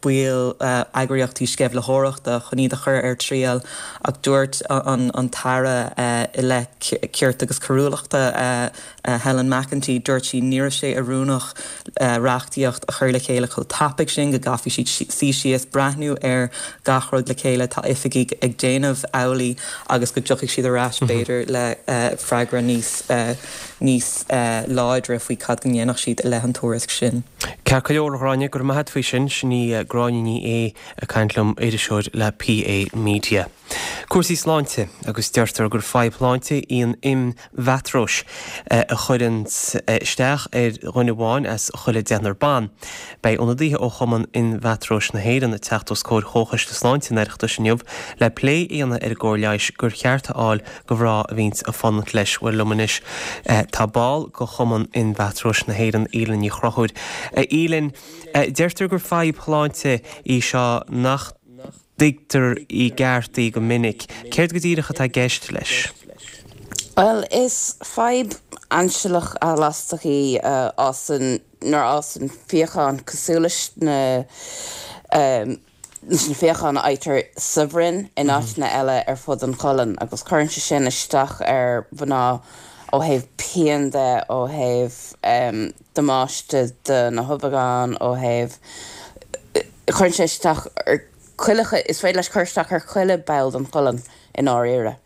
baill eagraíochtaí sceimhlitheoireachta chun iad a chur ar triail ach dúirt an an tAire i leith Cirt agus Coiriúlachta Helen McEntee, dúirt sí ní raibh sé oiriúnach reachtaíocht a chur le chéile chomh tapaidh sin, go gcaithfí siad suí síos, breathnú ar gach rud le chéile, tá oifigigh ag déanamh amhlaidh agus go dtiocfaidh siad ar ais b'fhéidir le freagra níos níos láidre faoi cad go ndéanfadh siad i leith an tuairisc sin. Ceart go leor, a Ghráinne, go raibh maith a't faoi sin. Sin í Gráinne Ní Aodha ag caint liom, iriseoir le PA Media. Cúrsaí sláinte, agus deirtear gur fadhb shláinte í an inmheatróis a chuireann isteach ar dhuine amháin as chuile deichniúr ban. Beidh ionadaithe ó Chumann Inmheatróis na hÉireann ag teacht os comhair Chomhchoiste Sláinte an Oireachtais inniu le plé a dhéanamh ar an gcóir leighis gur cheart a fháil do mhná a bhíonns ag fanacht leis. Bhuel liom anois tá ball de Chumann Inmheatróis na hÉireann, Aoileann Ní Chonchúir. A Aoileann, deirtear gur fadhb shláinte í seo nach dtuigtear i gceart í go minic. Céard go díreach atá i gceist leis? Bhuel, is fadhb ainsealach athlastach í a fhásann nuair a fhásann fíochán cosúil leis na leis na fíocháin a fhaightear sa bhroinn in áiteanna eile ar fud an cholainn agus cuireann sé sin isteach ar mhná ó thaobh pian de, ó thaobh damáiste do na hubhagáin, ó thaobh, cuireann sé isteach ar chuile, is féidir leis cur isteach ar chuile ball den cholainn i ndáiríre.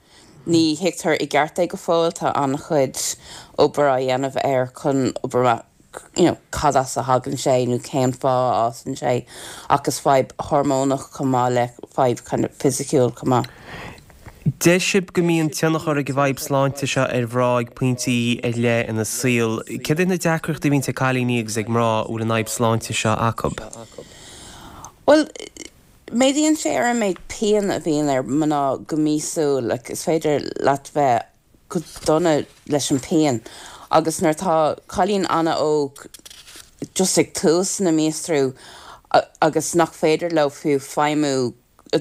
Ní thuigtear i gceart é go fóill, tá an-chuid obair á dhéanamh air chun obair amach you know cad as a thagann sé nó cén fáth a fhásann sé ach is fadhb hormónach chomh maith le fadhb kind of fisiciúil chomh maith. Deir sibh go mbíonn tionchar ag an bhfadhb sláinte seo ar mhná ag pointí ar leith ina saol. Céard iad na deacrachtaí a bhíonns ag cailíní agus ag mná a bhfuil an fhadhb sláinte seo acu? Bhuel, méadaíonn sé ar an méid pian a bhíonn ar mná go míosúil, like is féidir leat bheith go dona leis an pian agus nuair atá cailín an-óg just ag tús na míostrú agus nach féidir leo fiú feidhmiú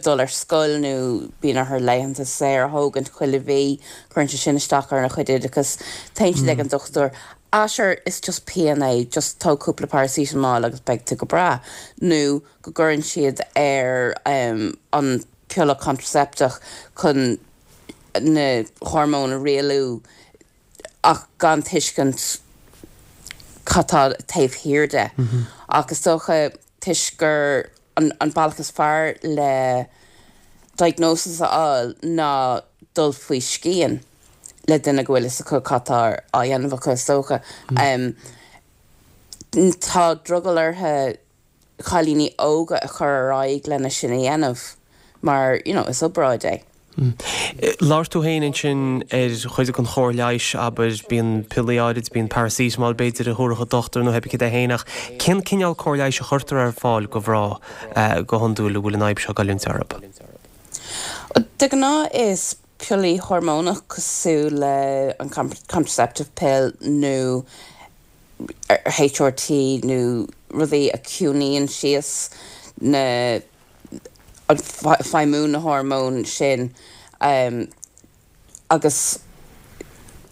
dul ar scoil nó bíonn orthu laethanta saor a thógaint chuile mhí, cuireann sé sin isteach ar a chuid oideachas, téann siad ag an dochtúir, ah sure is just pian é, just tóg cúpla paracetamol agus beidh tú go breá nó go gcuireann siad ar an piolla contraceptach chun na hormóin a rialú ach gan tuiscint cad tá taobh thiar de. Ach is dócha toisc gur an bealach is fearr le diagnosis a fháil ná dul faoi scian le duine go bhfuil fhios acu cad tá á dhéanamh acu is dócha. Tá drogall orthu cailíní óga a chur ar aghaidh lena sin a dhéanamh mar you know is obráid é. Labhair tú féin ansin ar chuid den chóir leighis, abair, bíonn piollaí áirid, bíonn paracetamol b'fhéidir a thabharfadh an dochtúir nó pé céard é féin ach cén cineál cóir leighis a chuirtear ar fáil do mhná go hiondúil a bhfuil an fhadhb seo ag goilliúint orthu? De ghnáth is piollaí hormónach cosúil le an contraceptive pill nó HRT nó rudaí a chiúnaíonn síos na an feidhmiú na hormóin sin agus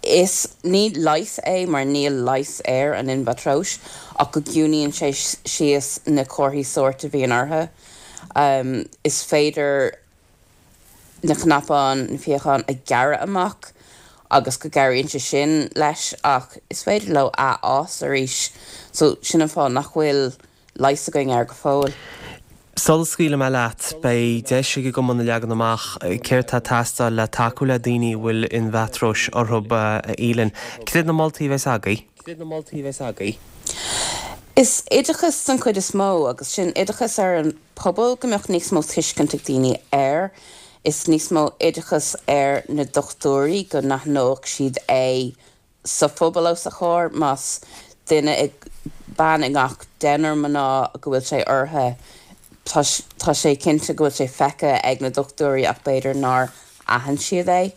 is, ní leigheas é mar níl leigheas ar an inmheatróis ach go gciúnaíonn sé síos na comharthaí sóirt a bhíonn orthu. Is féidir na cnapáin, na fíocháin a ghearradh amach agus go gcabhraíonn sé sin leis ach is féidir leo athfhás arís so sin an fáth nach bhfuil leigheas againn air go fóill. Sula scaoilfidh mé leat, beidh deis ag an gcumann a leagan amach céard tá ag teastáil le tacú le daoine a bhfuil inmheatróis orthu, a Aoibhlinn. Cad iad na moltaí a bheas agaibh? Is oideachas den chuid is mó, agus sin oideachas ar an pobal, go mbeadh níos mó tuiscint ag daoine air. Is níos mó oideachas ar na dochtúirí, go n-aithneodh siad é sa phobal os a chomhair, más duine i, bean i ngach deichniúr mná go bhfuil sé orthu, tá, tá sé cinnte go bhfuil sé feicthe ag na dochtúirí ach b'fhéidir nár aithin siad é.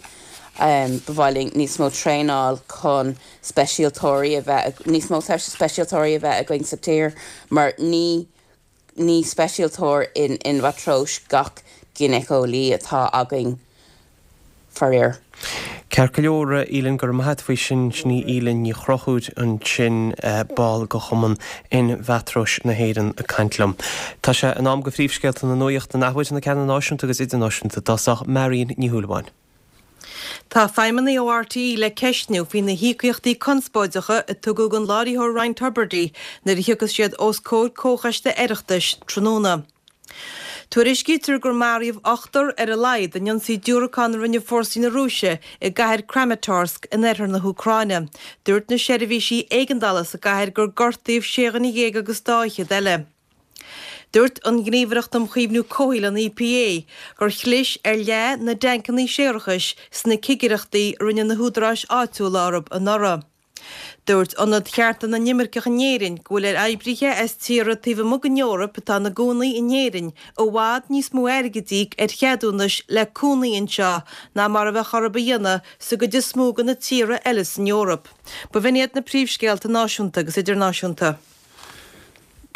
Ba mhaith linn níos mó traenáil chun speisialtóirí a bheith, níos mó speisialtóirí a bheith againn sa tír mar ní, ní speisialtóir in inmheatróis gach ginéiceolaí atá againn, faraor. Ceart go leor, a Aoibhlinn, go raibh maith a't faoi sin. Sin í Aoibhlinn Ní Chonchúir ansin, ball de Chumann Inmheatróis na hÉireann ag caint liom. Tá sé in am do phríomhscéalta na nuachta an athuair, na ceanna náisiúnta agus idirnáisiúnta i dtosach, Marion Ní Shúilleabháin. Tá feidhmeannaigh ó RTÉ le ceistniú faoi na híocaíochtaí conspóideacha a tugadh don láithreoir Ryan Tubridy nuair a thiocfas siad os comhair comhchoiste Oireachtais tráthnóna. Tuairiscítear gur maraíodh ochtar ar a laghad in ionsaí diúracán a rinne fórsaí na Rúise i gcathair Kramatorsk in oirthear na hÚcráine. Dúirt na seirbhísí éigeandála sa gcathair gur gortaíodh sé dhuine dhéag agus dá fhichead eile. Dúirt an Ghníomhaireacht um Chaomhnú Comhshaoil, an EPA, gur chlis ar leath na dtancanna séarachais sna cigireachtaí a rinne na húdaráis áitiúla orthu anuraidh. Dúirt Ionad Chearta na nImirceach in Éirinn go bhfuil ar oibrithe as tíortha taobh amuigh den Eoraip atá ina gcónaí in Éirinn i bhfad níos mó airgid a íoc ar cheadúnais le cónaí anseo ná mar a bheadh orthu a dhéanamh sa gcuid is mó de na tíortha eile san Eoraip. B'in iad na príomhscéalta náisiúnta agus idirnáisiúnta.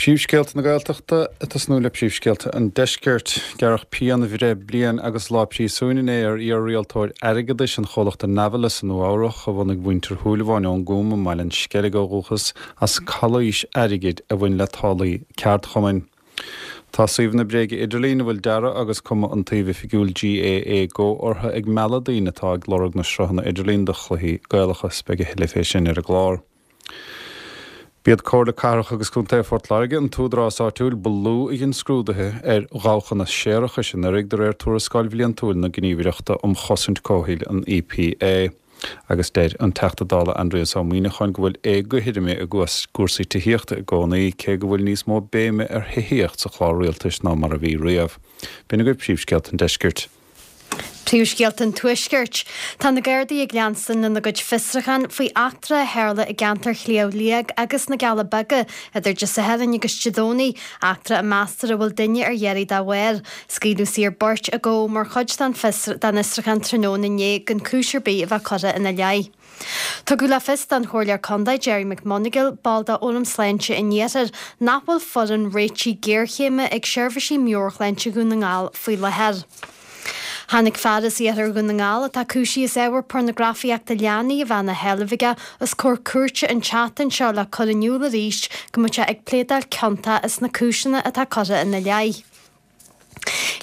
Príomhscéalta na Gaeltachta, ag tosnú le príomhscéalta an Deiscirt. Gearradh pianbhreith bliain agus lá príosúin inné ar iar-rialtóir airgeadais an chomhlachta Navalis i Nua Eabhrach, a bhunaigh muintir Shúilleabháin ón gCúm i mBaile an Sceilg ó dhúchas, as calaois airgid a bhain le táillí ceardchumainn. Tá suíomhanna bréige idirlín a bhfuil dearadh agus cuma an tsuímh oifigiúil GAA Go orthu ag mealladh daoine atá ag lorg na sruthanna idirlín do chluichí Gaelacha. Beidh a thuilleadh fé sin ar an gclár. B'iad Comhairle Cathrach agus Contae Phort Láirge an t-údarás áitiúil ba lú a dhein scrúduithe ar dhabhchanna séarachais anuraidh, de réir tuarascáil bhliantúil na Gníomhaireachta um Chosaint Comhshaoil, an EPA. Agus deir an Teachta Dála Aindrias Ó Muíneacháin go bhfuil éagothroime i gcúrsaí tithíochta i gcónaí, cé go bhfuil níos mó béime ar thithíocht sa chlár rialtais ná mar a bhí riamh. B'in agaibh príomhscéalta an deiscirt. Príomhscéalta an Tuaiscirt. Tá na Gardaí ag leanstan lena gcuid fiosrúchán faoi eachtra a tharla i gceantar Shliabh Liag agus na gCealla Beaga idir Dé Sathairn agus Dé Domhnaigh, eachtra a meastar a bhfuil duine ar iarraidh dá bharr. Scaoileadh saor beirt a gabhadh mar chuid den fhiosrúchán tráthnóna inné gan cúis ar bith a bheith curtha ina leith. Tugadh le fios don Chomhairleoir Contae Gerry McMonagail, ball de Fhóram Sláinte an Iarthair, nach bhfuil foireann réitigh géarchéime ag seirbhísí meabhairshláinte Dhún na nGall faoi láthair. Tháinig fear as iarthar Dhún na nGall atá cúisithe as ábhar pornagrafaíochta leanaí a bheith ina sheilbh aige os comhair cúirte an tseachtain seo le cur in iúl arís go mbeadh sé ag pléadáil ciontach sna cúiseanna atá curtha ina leith.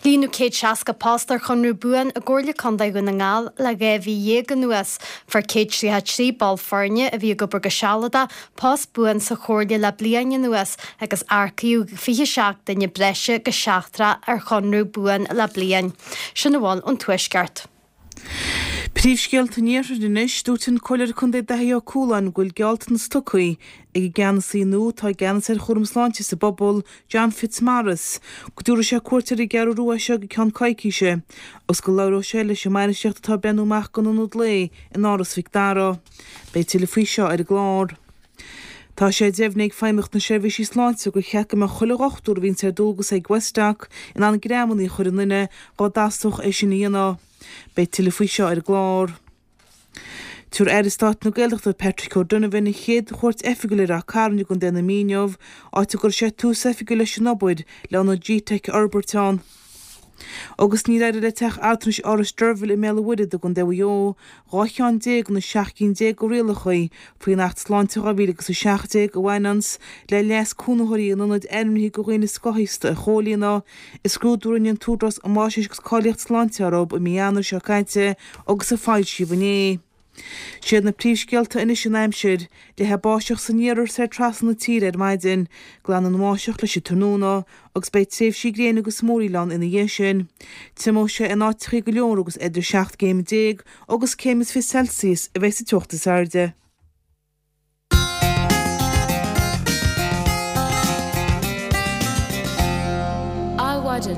Líonadh 160 post ar chonradh buan i gComhairle Contae Dhún na nGall le 12 mhí anuas. Fuair 133 ball foirne a bhí ag obair go sealadach post buan sa Chomhairle le bliain anuas agus earcaíodh 27 duine breise go seachtrach ar chonradh buan le bliain. Sin a bhfuil ón Tuaisceart. Príomhscéalta an Iarthair anois, Dúirt an Comhairleoir Contae Daithí Ó Cualáin go bhfuil gealltanas tugtha ag an gceannasaí nua atá i gceannas ar chúram sláinte sa bpobal, John Fitzmaurice, go dtabharfaidh sé cuairt ar an gCeathrú Rua as seo go ceann coicíse agus go labhróidh sé leis an mbainistíocht atá ag breathnú amach don ionad lae in Áras Mhic Dara. Beidh tuilleadh faoi seo ar an gclár. Tá sé deimhnithe ag Feidhmeannacht na Seirbhísí Sláinte gur cheart go mbeadh chuile dhochtúir a bhíonns ar dualgas ag Westdoc in ann greamannaí a chur i nduine dhá dteastódh é sin a dhéanamh. Beidh tuilleadh faoi seo ar an gclár. Tabharfaidh Aire Stáit na Gaeltachta Patrick O'Donovan a chéad chuairt oifigiúil ar Ráth Cairn i gContae na Mí inniu, áit a gcuirfidh sé tús oifigiúil leis an obair le ionad G-Teic a fhorbairt ann. Agus níor éirigh le teach altranais Áras Deirbhile i mBéal an Mhuirthead i gContae Mhaigh Eo 12 cheann de na 17 cinn de rialacha faoin Acht Sláinte 2017 a bhaineanns le leas cónaitheoirí in ionaid ainmnithe do dhaoine scothaosta a chomhlíonadh i scrúdú a rinne an tÚdarás um Fhaisnéis agus Cáilíocht Sláinte orthu i mí Eanáir seo caite agus a foilsíodh inné. Siad na príomhscéalta anois an aimsir. Leathfaidh báisteach san iarthar soir trasna na tíre ar maidin. Glanfaidh an bháisteach leis an tráthnóna agus beidh tréimhsí gréine agus múraíl ann ina dhiaidh sin. Triomóidh sé in áiteachaí go leor agus idir 17 gcéim agus céim is 20 Celsius a bheidh sa teocht is airde. Adhmhaidin.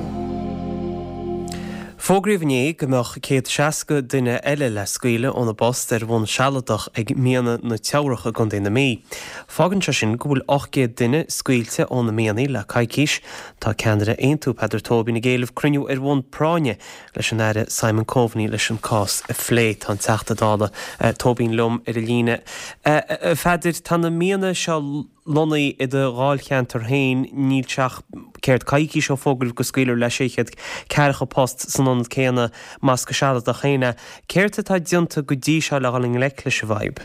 Fógraíodh inné go mbeadh 160 duine eile le scaoileadh óna bpost ar bhonn sealadach ag Mianaigh na Teamhrach i gContae na Mí. Fágann sé sin go bhfuil 800 duine scaoilte ó na mianaigh le coicís. Tá ceannaire Aontú, Peadar Tóibín ag éileamh cruinniú ar bhonn práinne leis an Aire Simon Coveney leis an cás a phlé. Tá an Teachta Dála Tóibín liom ar an líne. A Pheadair, tá na mianaigh seo lonnaithe i do dháilcheantar féin, níl sé ach céard, coicís ó fógraíodh go scaoilfear le 640 post san ionad céanna, más go sealadach féin é. Céard atá déanta go dtí seo le dhul i ngleic leis an bhfadhb?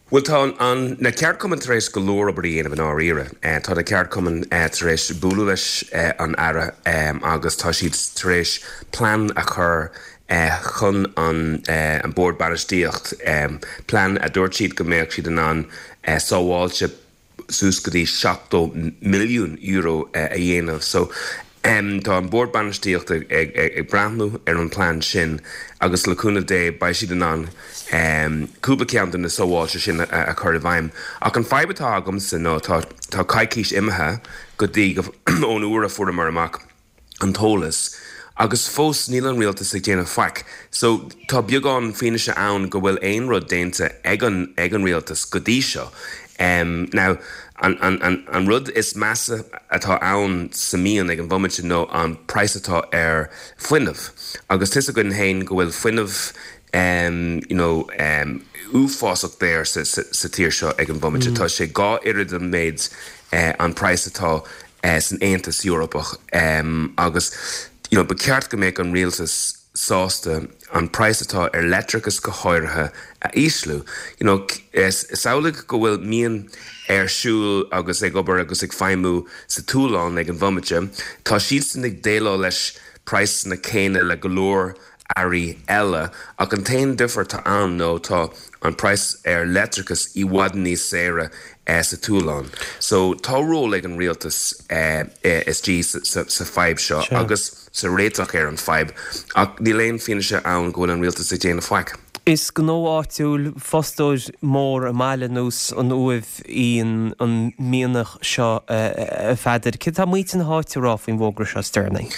Bhuel, tá an, na ceardchumainn tar éis go leor obair a dhéanamh i ndáiríre. Tá na ceardchumainn tar éis bualadh leis an Aire agus tá siad tar éis plean a chur chun an Bord Bainistíocht, plean a dúirt siad go mbeadh siad in ann sábháilte suas go dtí €70 milliún a dhéanamh. So, tá an Bord Bainistíochta ag breathnú ar an plean sin agus le cúnamh Dé beidh siad in ann cúpla ceann de na sábháilte sin a chur i bhfeidhm. Ach an fadhb atá agamsa ná tá coicís imithe go dtí ón uair a fuaireamar amach an t-eolas agus fós níl an rialtas ag déanamh faic. So tá beagán fianaise ann go bhfuil aon rud déanta ag an ag an rialtas go dtí seo. Now an an an an rud is measa atá ann sa mian ag an bhomaite nó an praghas atá ar fuinneamh agus tá's againn féin go bhfuil fuinneamh you know uafásach daor sa sa sa tír seo ag an bhomaite. Tá sé dhá oiread an méid an praghas atá san Aontas Eorpach agus you know ba cheart go mbeadh an rialtas sásta an praghas atá ar leictreachas go háirithe a ísliú. You know samhlaigh go bhfuil mian ar siúl agus ag obair agus ag feidhmiú sa tSualainn ag an bhomaite, tá siadsan ag déileáil leis praghsanna céanna le go leor earraí eile, ach an t-aon difear atá ann nó tá an praghas ar leictreachas i bhfad níos saoire sa tSualainn. So tá ról ag an rialtas istigh sa fadhb seo agus sa réiteach ar an fadhb, ach níl aon fianaise ann go bhfuil an rialtas ag déanamh faic. Is gnó áitiúil, fostóir mór i mbaile nós an Uaimh í an mianach seo a Pheadair. Céard atá muintir na háite a rá faoin bhfógra seo is deireanaí?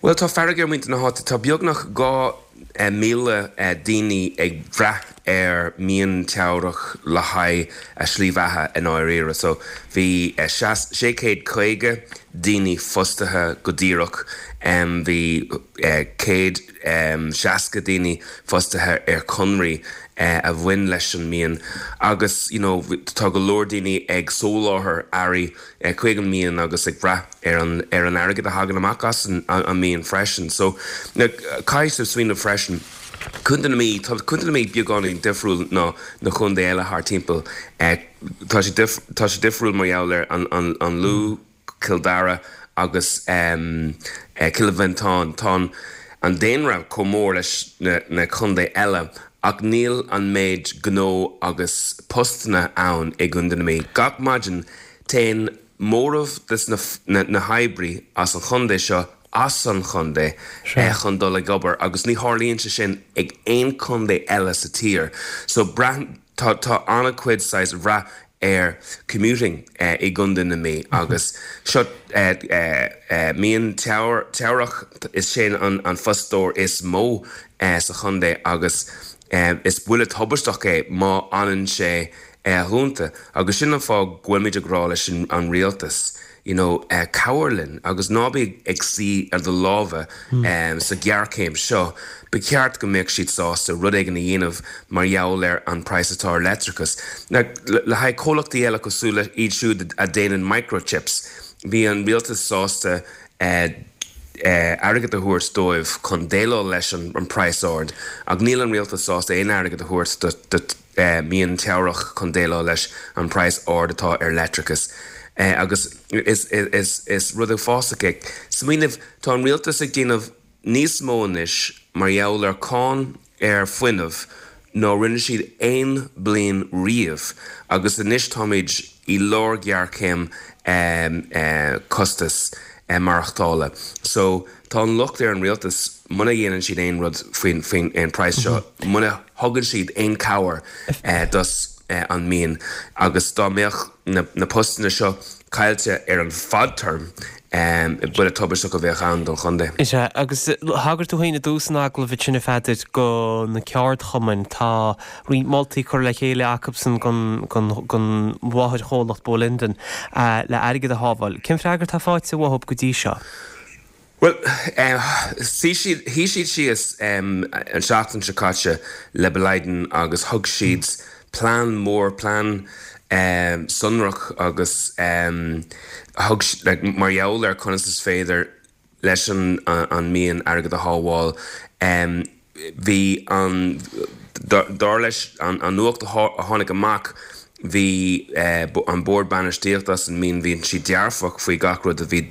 Bhuel, tá fearg ar mhuintir na háite. Tá beagnach 2,000 daoine ag brath ar Mhian Teamhrach le haghaidh a slí bheatha i ndáiríre. So, bhí 650 daoine fostaithe go díreach, bhí 160 daoine fostaithe ar chonraí a bhain leis an mian agus, you know, tá go leor daoine ag soláthar earraí chuig an mian agus ag brath ar an ar an airgead a thagann amach as an an mian freisin. So, caithfidh tú smaoineamh freisin, Contae na Mí, tá Contae na Mí beagáinín difriúil ná na contae eile thart timpeall. Tá sé tá sé difriúil mar gheall ar an an an Lú, Cill Dara agus Cill Mhantáin. Tá an an daonra chomh mór leis na na contae eile ach níl an méid gnó agus postanna ann i gContae na Mí. Gach maidin téann móramh des na na hoibrí as an chontae seo. as an chontae chun dul ag obair agus ní tharlaíonn sé sin ag aon contae eile sa tír. So braitheann, tá, tá an-chuid saghas bhrath ar commuting i gContae na Mí agus seo Mian Teamhrach, is sin an fostóir is mó sa chontae agus is buille tubaisteach é má fhanann sé dúnta agus sin an fáth go bhfuilimid ag rá leis an rialtas you know cabhair linn agus ná bí ag suí ar do lámha sa ghéarchéim seo. Ba cheart go mbeadh siad sásta rud éigin a dhéanamh mar gheall ar an praghas atá ar leictreachas. Now le haghaidh comhlachtaí eile cosúil le iad siúd a déanann microchips, bhí an rialtas sásta airgead a thabhairt dóibh chun déileáil leis an praghas ard ach níl an rialtas sásta aon airgead a thabhairt do Mhian Teamhrach chun déileáil leis an praghas ard atá ar leictreachas agus is rud uafásach é. Smaoineamh, tá an rialtas ag déanamh níos mó anois mar gheall ar cáin ar fuinneamh ná rinne siad aon bliain riamh agus anois táimid i lár géarchéim costas maireachtála. So tá an locht ar an rialtas muna dhéanann siad aon rud faoin faoin praghas seo, muna thugann siad aon cabhair dos an mian agus dá mbeadh na postanna seo caillte ar an fadterm, buille tubaisteach a bheadh ann don chontae. Is ea, agus thagair tú féin i dtús an agallaimh ansin a Pheadair go na ceardchumainn. Tá roinnt moltaí curtha le chéile acubsan don mháthairchomhlacht Bolinden le airgead a shábháil. Cén freagra atá faighte uathub go dtí seo? Bhuel, shuigh siad, shuigh siad síos an tseachtain seo caite le Boliden agus thug siad plean mór, plean sonrach agus thug, like, mar gheall ar conas is féidir leis an an mian airgead a shábháil. Bhí an, dar leis an nuacht a tháinig amach, bhí an bord bainistíochta as an mian, bhí siad dearfach faoi gach rud a bhí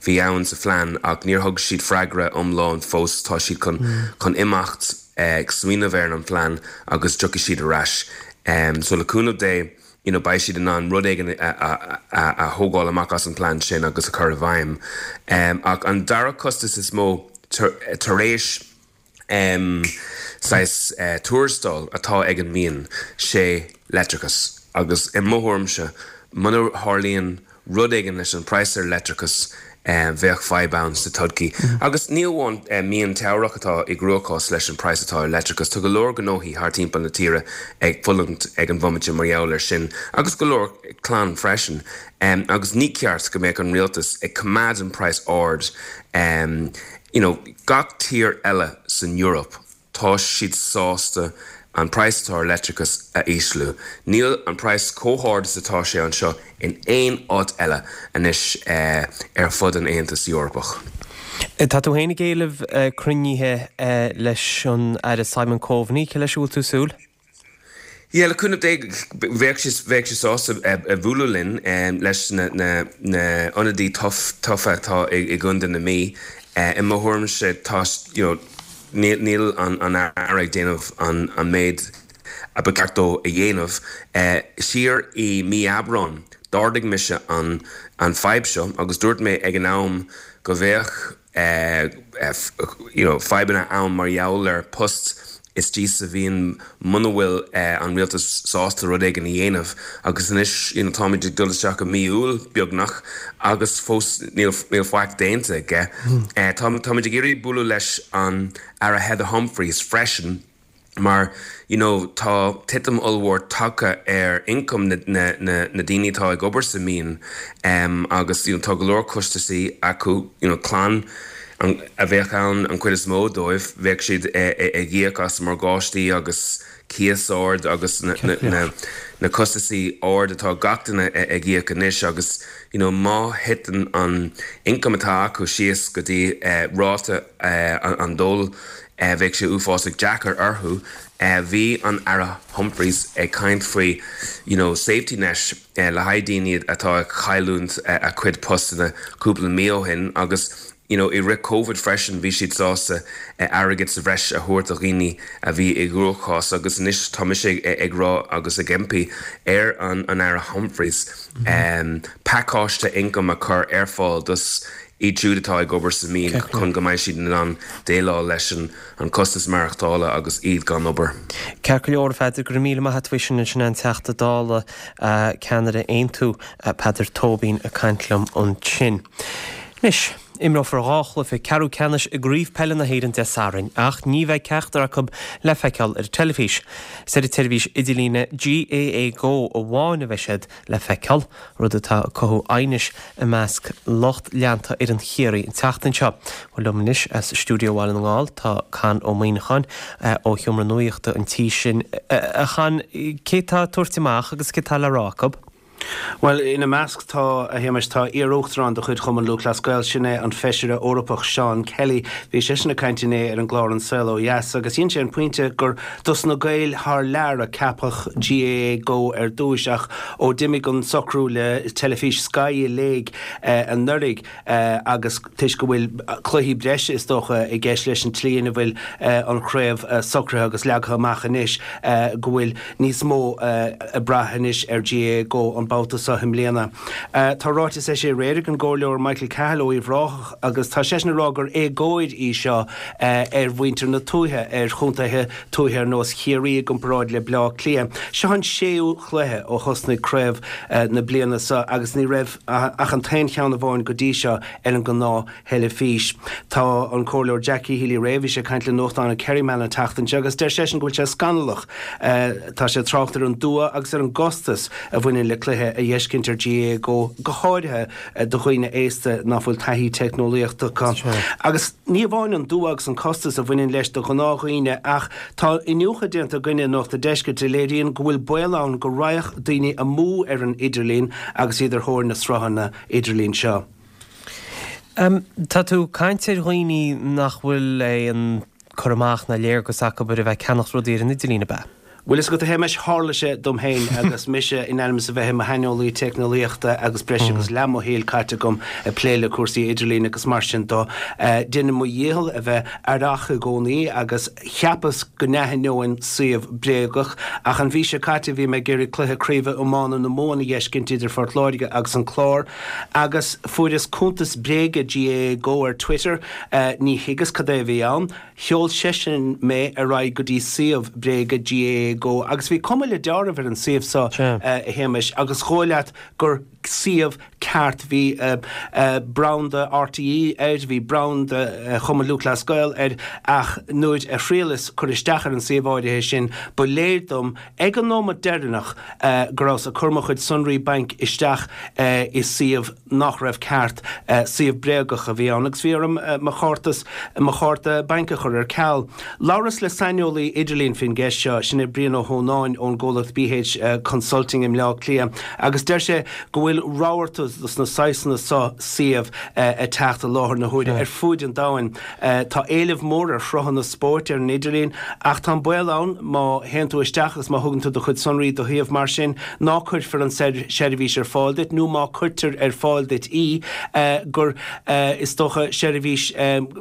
bhí ann sa phlean ach níor thug siad freagra iomlán fós. Tá siad chun chun imeacht ag smaoineamh ar an phlean agus tiocfaidh siad ar ais. So le cúnamh Dé, you know beidh siad in ann rud éigin a thógáil amach as an plean sin agus a chur i bhfeidhm. Ach an dara costas is mó tar éis saghas tuarastail atá ag an mian, sé leictreachas. Agus i mo thuairimse, muna tharlaíonn rud éigin leis an praghas ar leictreachas, bheadh fadhb ann sa todhchaí. Agus ní amháin Mian Teamhrach atá i gcruachás leis an praghas atá ar leictreachas, tá go leor gnóthaí thar timpeall na tíre ag fulaingt ag an bhomaite mar gheall air sin, agus go leor clann freisin. Agus ní ceart go mbeadh an rialtas ag coimeád an praghas ard. You know, gach tír eile san Eoraip, tá siad sásta an praghas atá ar leictreachas a ísliú. Níl an praghas chomh hard is atá sé anseo in aon áit eile anois ar fud an Aontais Eorpach. Tá tú féin ag éileamh cruinnithe leis an Aire Simon Coveney. Cé leis a bhfuil tú ag súil? Yeah, le cúnamh Dé, bheadh sé, bheadh sé sásta bualadh linn, leis na, na, na ionadaí tofa atá i, i gContae na Mí. I mo thuairimse, tá, you know, níl, níl an, an Aire ag déanamh an, an méid a ba cheart dó a dhéanamh. Siar i mí Aibreáin, d'ardaigh mise an, an fadhb seo agus dúirt mé ag an am go bheadh, you know fadhbanna ann mar gheall ar post istigh sa mhian muna bhfuil an rialtas sásta rud éigin a dhéanamh agus anois you know táimid ag dul isteach i mí Iúil beagnach agus fós níl níl faic déanta aige. Táimid ag iarraidh bualadh leis an Aire Heather Humphreys freisin. mar you know tá titim ollmhór tagtha ar ioncam na na na na daoine atá ag obair sa mian em agus you know tá go leor costasaí acu you know clann an a bheadh ann an chuid is mó dóibh bheadh siad ag íoc as morgáistí agus cíos ard agus na na na na costasaí ard atá gach duine ag íoc anois agus you know má thiteann an ioncam atá acu síos go dtí eh ráta eh an dóil Bheadh sé uafásach deacair orthu. Bhí an Aire Humphreys ag caint faoi you know safety net le haghaidh daoine atá ag cailliúint a cuid postanna cúpla mí ó shin agus you know i rith Covid freisin bhí siad sásta airgead sa bhreis a thabhairt do dhaoine a bhí i gcruachás agus anois tá mise ag rá agus ag impí ar an Aire Humphreys pacáiste ioncaim a chur ar fáil dos. Iad siúd atá ag obair sa mhian chun go mbeidh siad in ann déileáil leis an costas maireachtála agus iad gan obair. Ceart go leor, a Pheadair, go raibh míle maith a't faoi sin. Sin an Teachta Dála, ceannaire Aontú, Peadar Tóibín ag caint liom ansin. Anois, imreofar 2 chluiche ceathrú ceannais i gCraobh Peile na hÉireann Dé Sathairn ach ní bheidh ceachtar acu le feiceáil ar an teilifís. Is ar an tseirbhís idirlíne GAA Go amháin a bheidh siad le feiceáil, rud atá ag cothú aighnis i measc lucht leanta fhoireann Chiarraí an tseachtain seo. Bhuel, liom anois as stiúideo Bhaile na nGall tá Con Ó Muíneacháin ó sheomra nuachta an tí sin. A Chon, cé tá ag tabhairt amach agus céard tá le rá acu? Bhuel, ina measc tá, a Shéamais, tá iar-uachtarán de chuid Chumann Lúthchleas Gael, sin é an Feisire Eorpach Seán Kelly. Bhí seisean ag caint inné ar an gclár An Saol Ó Dheas agus dhein sé an pointe gur dos na Gaeil thar lear a ceapadh GAA Go ar dtúis ach ó d'imigh an socrú le teilifís Sky i léig anuraidh agus toisc go bhfuil cluichí breise is dócha i gceist leis an tslí ina bhfuil an chraobh socraithe agus leagtha amach anois go bhfuil níos mó ag brath anois ar GAA Go an babhta seo i mbliana. Tá ráiteas eisithe aréir ag an gComhairleoir Michael Cahill ó Uíbh Ráthach agus tá seisean ag rá gur éagóir í seo ar mhuintir na tuaithe, ar chontaetha tuaithe ar nós Chiarraí i gcomparáid le Bleá Cliath. Seo an séú chluiche ó thosnaigh craobh na bliana seo agus ní raibh ach an t-aon cheann amháin go dtí seo ar an ngnáth-theilifís. Tá an Comhairleoir Jackie Healy-Rae, bhí sé ag caint le nuachtán an Kerryman an tseachtain seo agus deir seisean go bhfuil sé scannalach. Tá sé ag trácht ar an dua agus ar an gcostas a bhaineann le cluiche a dh'fheiscint ar GAA Go, go háirithe do dhaoine aosta ná fuil taithí teicneolaíochta acu. Agus ní amháin an dua agus an costas a bhaineann leis do ghnáthdhaoine ach tá iniúchadh déanta againne i Nuacht an Deiscirt a léiríonn go bhfuil baol ann go raghadh daoine amú ar an idirlíon agus iad ar thóir na sruthanna idirlín seo. Tá tú ag caint ar dhaoine nach bhfuil aon cur amach ná léargas acu ar a bheith ag ceannacht rudaí ar an idirlíon, ab ea? Bhuel, fhios agat, a Shéamais, tharla sé dom féin agus mise in ainm is a bheith i mo shaineolaí teicneolaíochta agus breis agus leath mo shaoil caite agam ag plé le cúrsaí idirlín agus mar sin do. Déanaim mo dhícheall a bheith aireach i gcónaí agus cheapas go n-aithneoinn suíomh bréagach ach an mhí seo caite bhí mé ag iarraidh cluiche craoibhe iomána na Mumhan a dh'fheiscint idir Phort Láirge agus an Clár agus fuaireas cuntas bréige GAA Go ar Twitter. Ní thuigeas cad é a bhí ann. Sheol seisean mé ar aghaidh go dtí suíomh bréige GAA Go agus bhí cuma le deáramh ar an suíomh seo, a Shéamais, agus dhóigh leat gur suíomh ceart. Bhí branda RTÉ air, bhí branda Chumann Lúthchleas Gael air ach nuair a thriaileas cur isteach ar an suíomh áirithe sin ba léir dom ag an nóimeat deireanach go rabhas ag cur mo chuid sonraí bainc isteach i suíomh nach raibh ceart, suíomh bréagach a bhí ann agus bhí orm mo chártas, mo chárta bainc a chur ar ceal. Labhras le saineolaí idirlín faoin gceist seo, sin é Brian Ó hÓnáin ón gcomhlacht BH Consulting i mBleá Cliath agus deir sé go bhfuil rabharta dos na saghsanna seo suíomh ag teacht i láthair na huaire ar fuaid an domhain. Tá éileamh mór ar shruthanna spóirt ar an idirlíon ach tá an baol ann má théann tú isteach agus má thugann tú do chuid sonraí do shuíomh mar sin ná cuirfear an seirbhís ar fáil duit nó má cuirtear ar fáil duit í gur is dócha seirbhís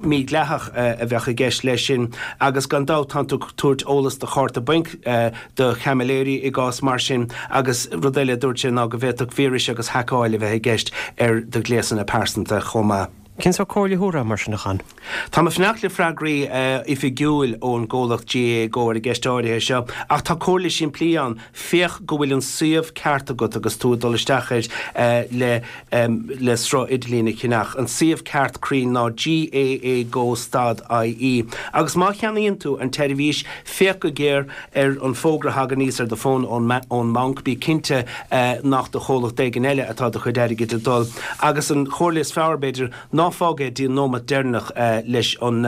mídhleathach a bheadh i gceist leis sin agus gan dabht tánn tú ag tabhairt eolas do chárta bainc do chaimiléirí i gcás mar sin agus rud eile a dúirt sé ná go bhféadfadh víris agus haiceáil a bheith i gceist ar do ghléasanna pearsanta chomh maith. Cén sórt comhairle a thabharfá mar sin, a Chon? Tá mé ag fanacht le freagraí oifigiúil ón gcomhlacht GAA Go ar an gceist áirithe seo, ach tá comhairle simplí ann, féach go bhfuil an suíomh ceart agat agus tú ag dul isteach air le le sruth idirlín a cheannach. An suíomh ceart cruinn ná GAA Go stad IE. Agus má cheannaíonn tú an tseirbhís, féach go géar ar an bhfógra a thagann aníos ar do fón ón mbanc, bí cinnte nach do chomhlacht éigin eile atá do chuid airgid ag dul. Agus an chomhairle is fearr, b'fhéidir, ná fág é dtí an nóimeat deireanach leis an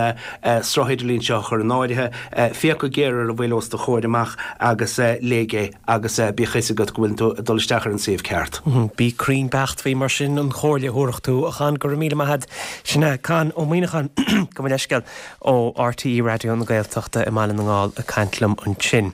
sruth idirlín seo a chur in áirithe. Féach go géar ar a bhfuil os do chomhair amach agus léigh é agus bíodh a fhios agat go bhfuil tú ag dul isteach ar an suíomh ceart. Bí cruinn beacht faoi mar sin an chomhairle a thabharfadh tú, a Chon. Go raibh míle maith agat. Sin é Con Ó Muíneacháin. Gabh mo leithscéal. Ó RTÉ Raidió na Gaeltachta i mBaile na nGall ag caint liom ansin.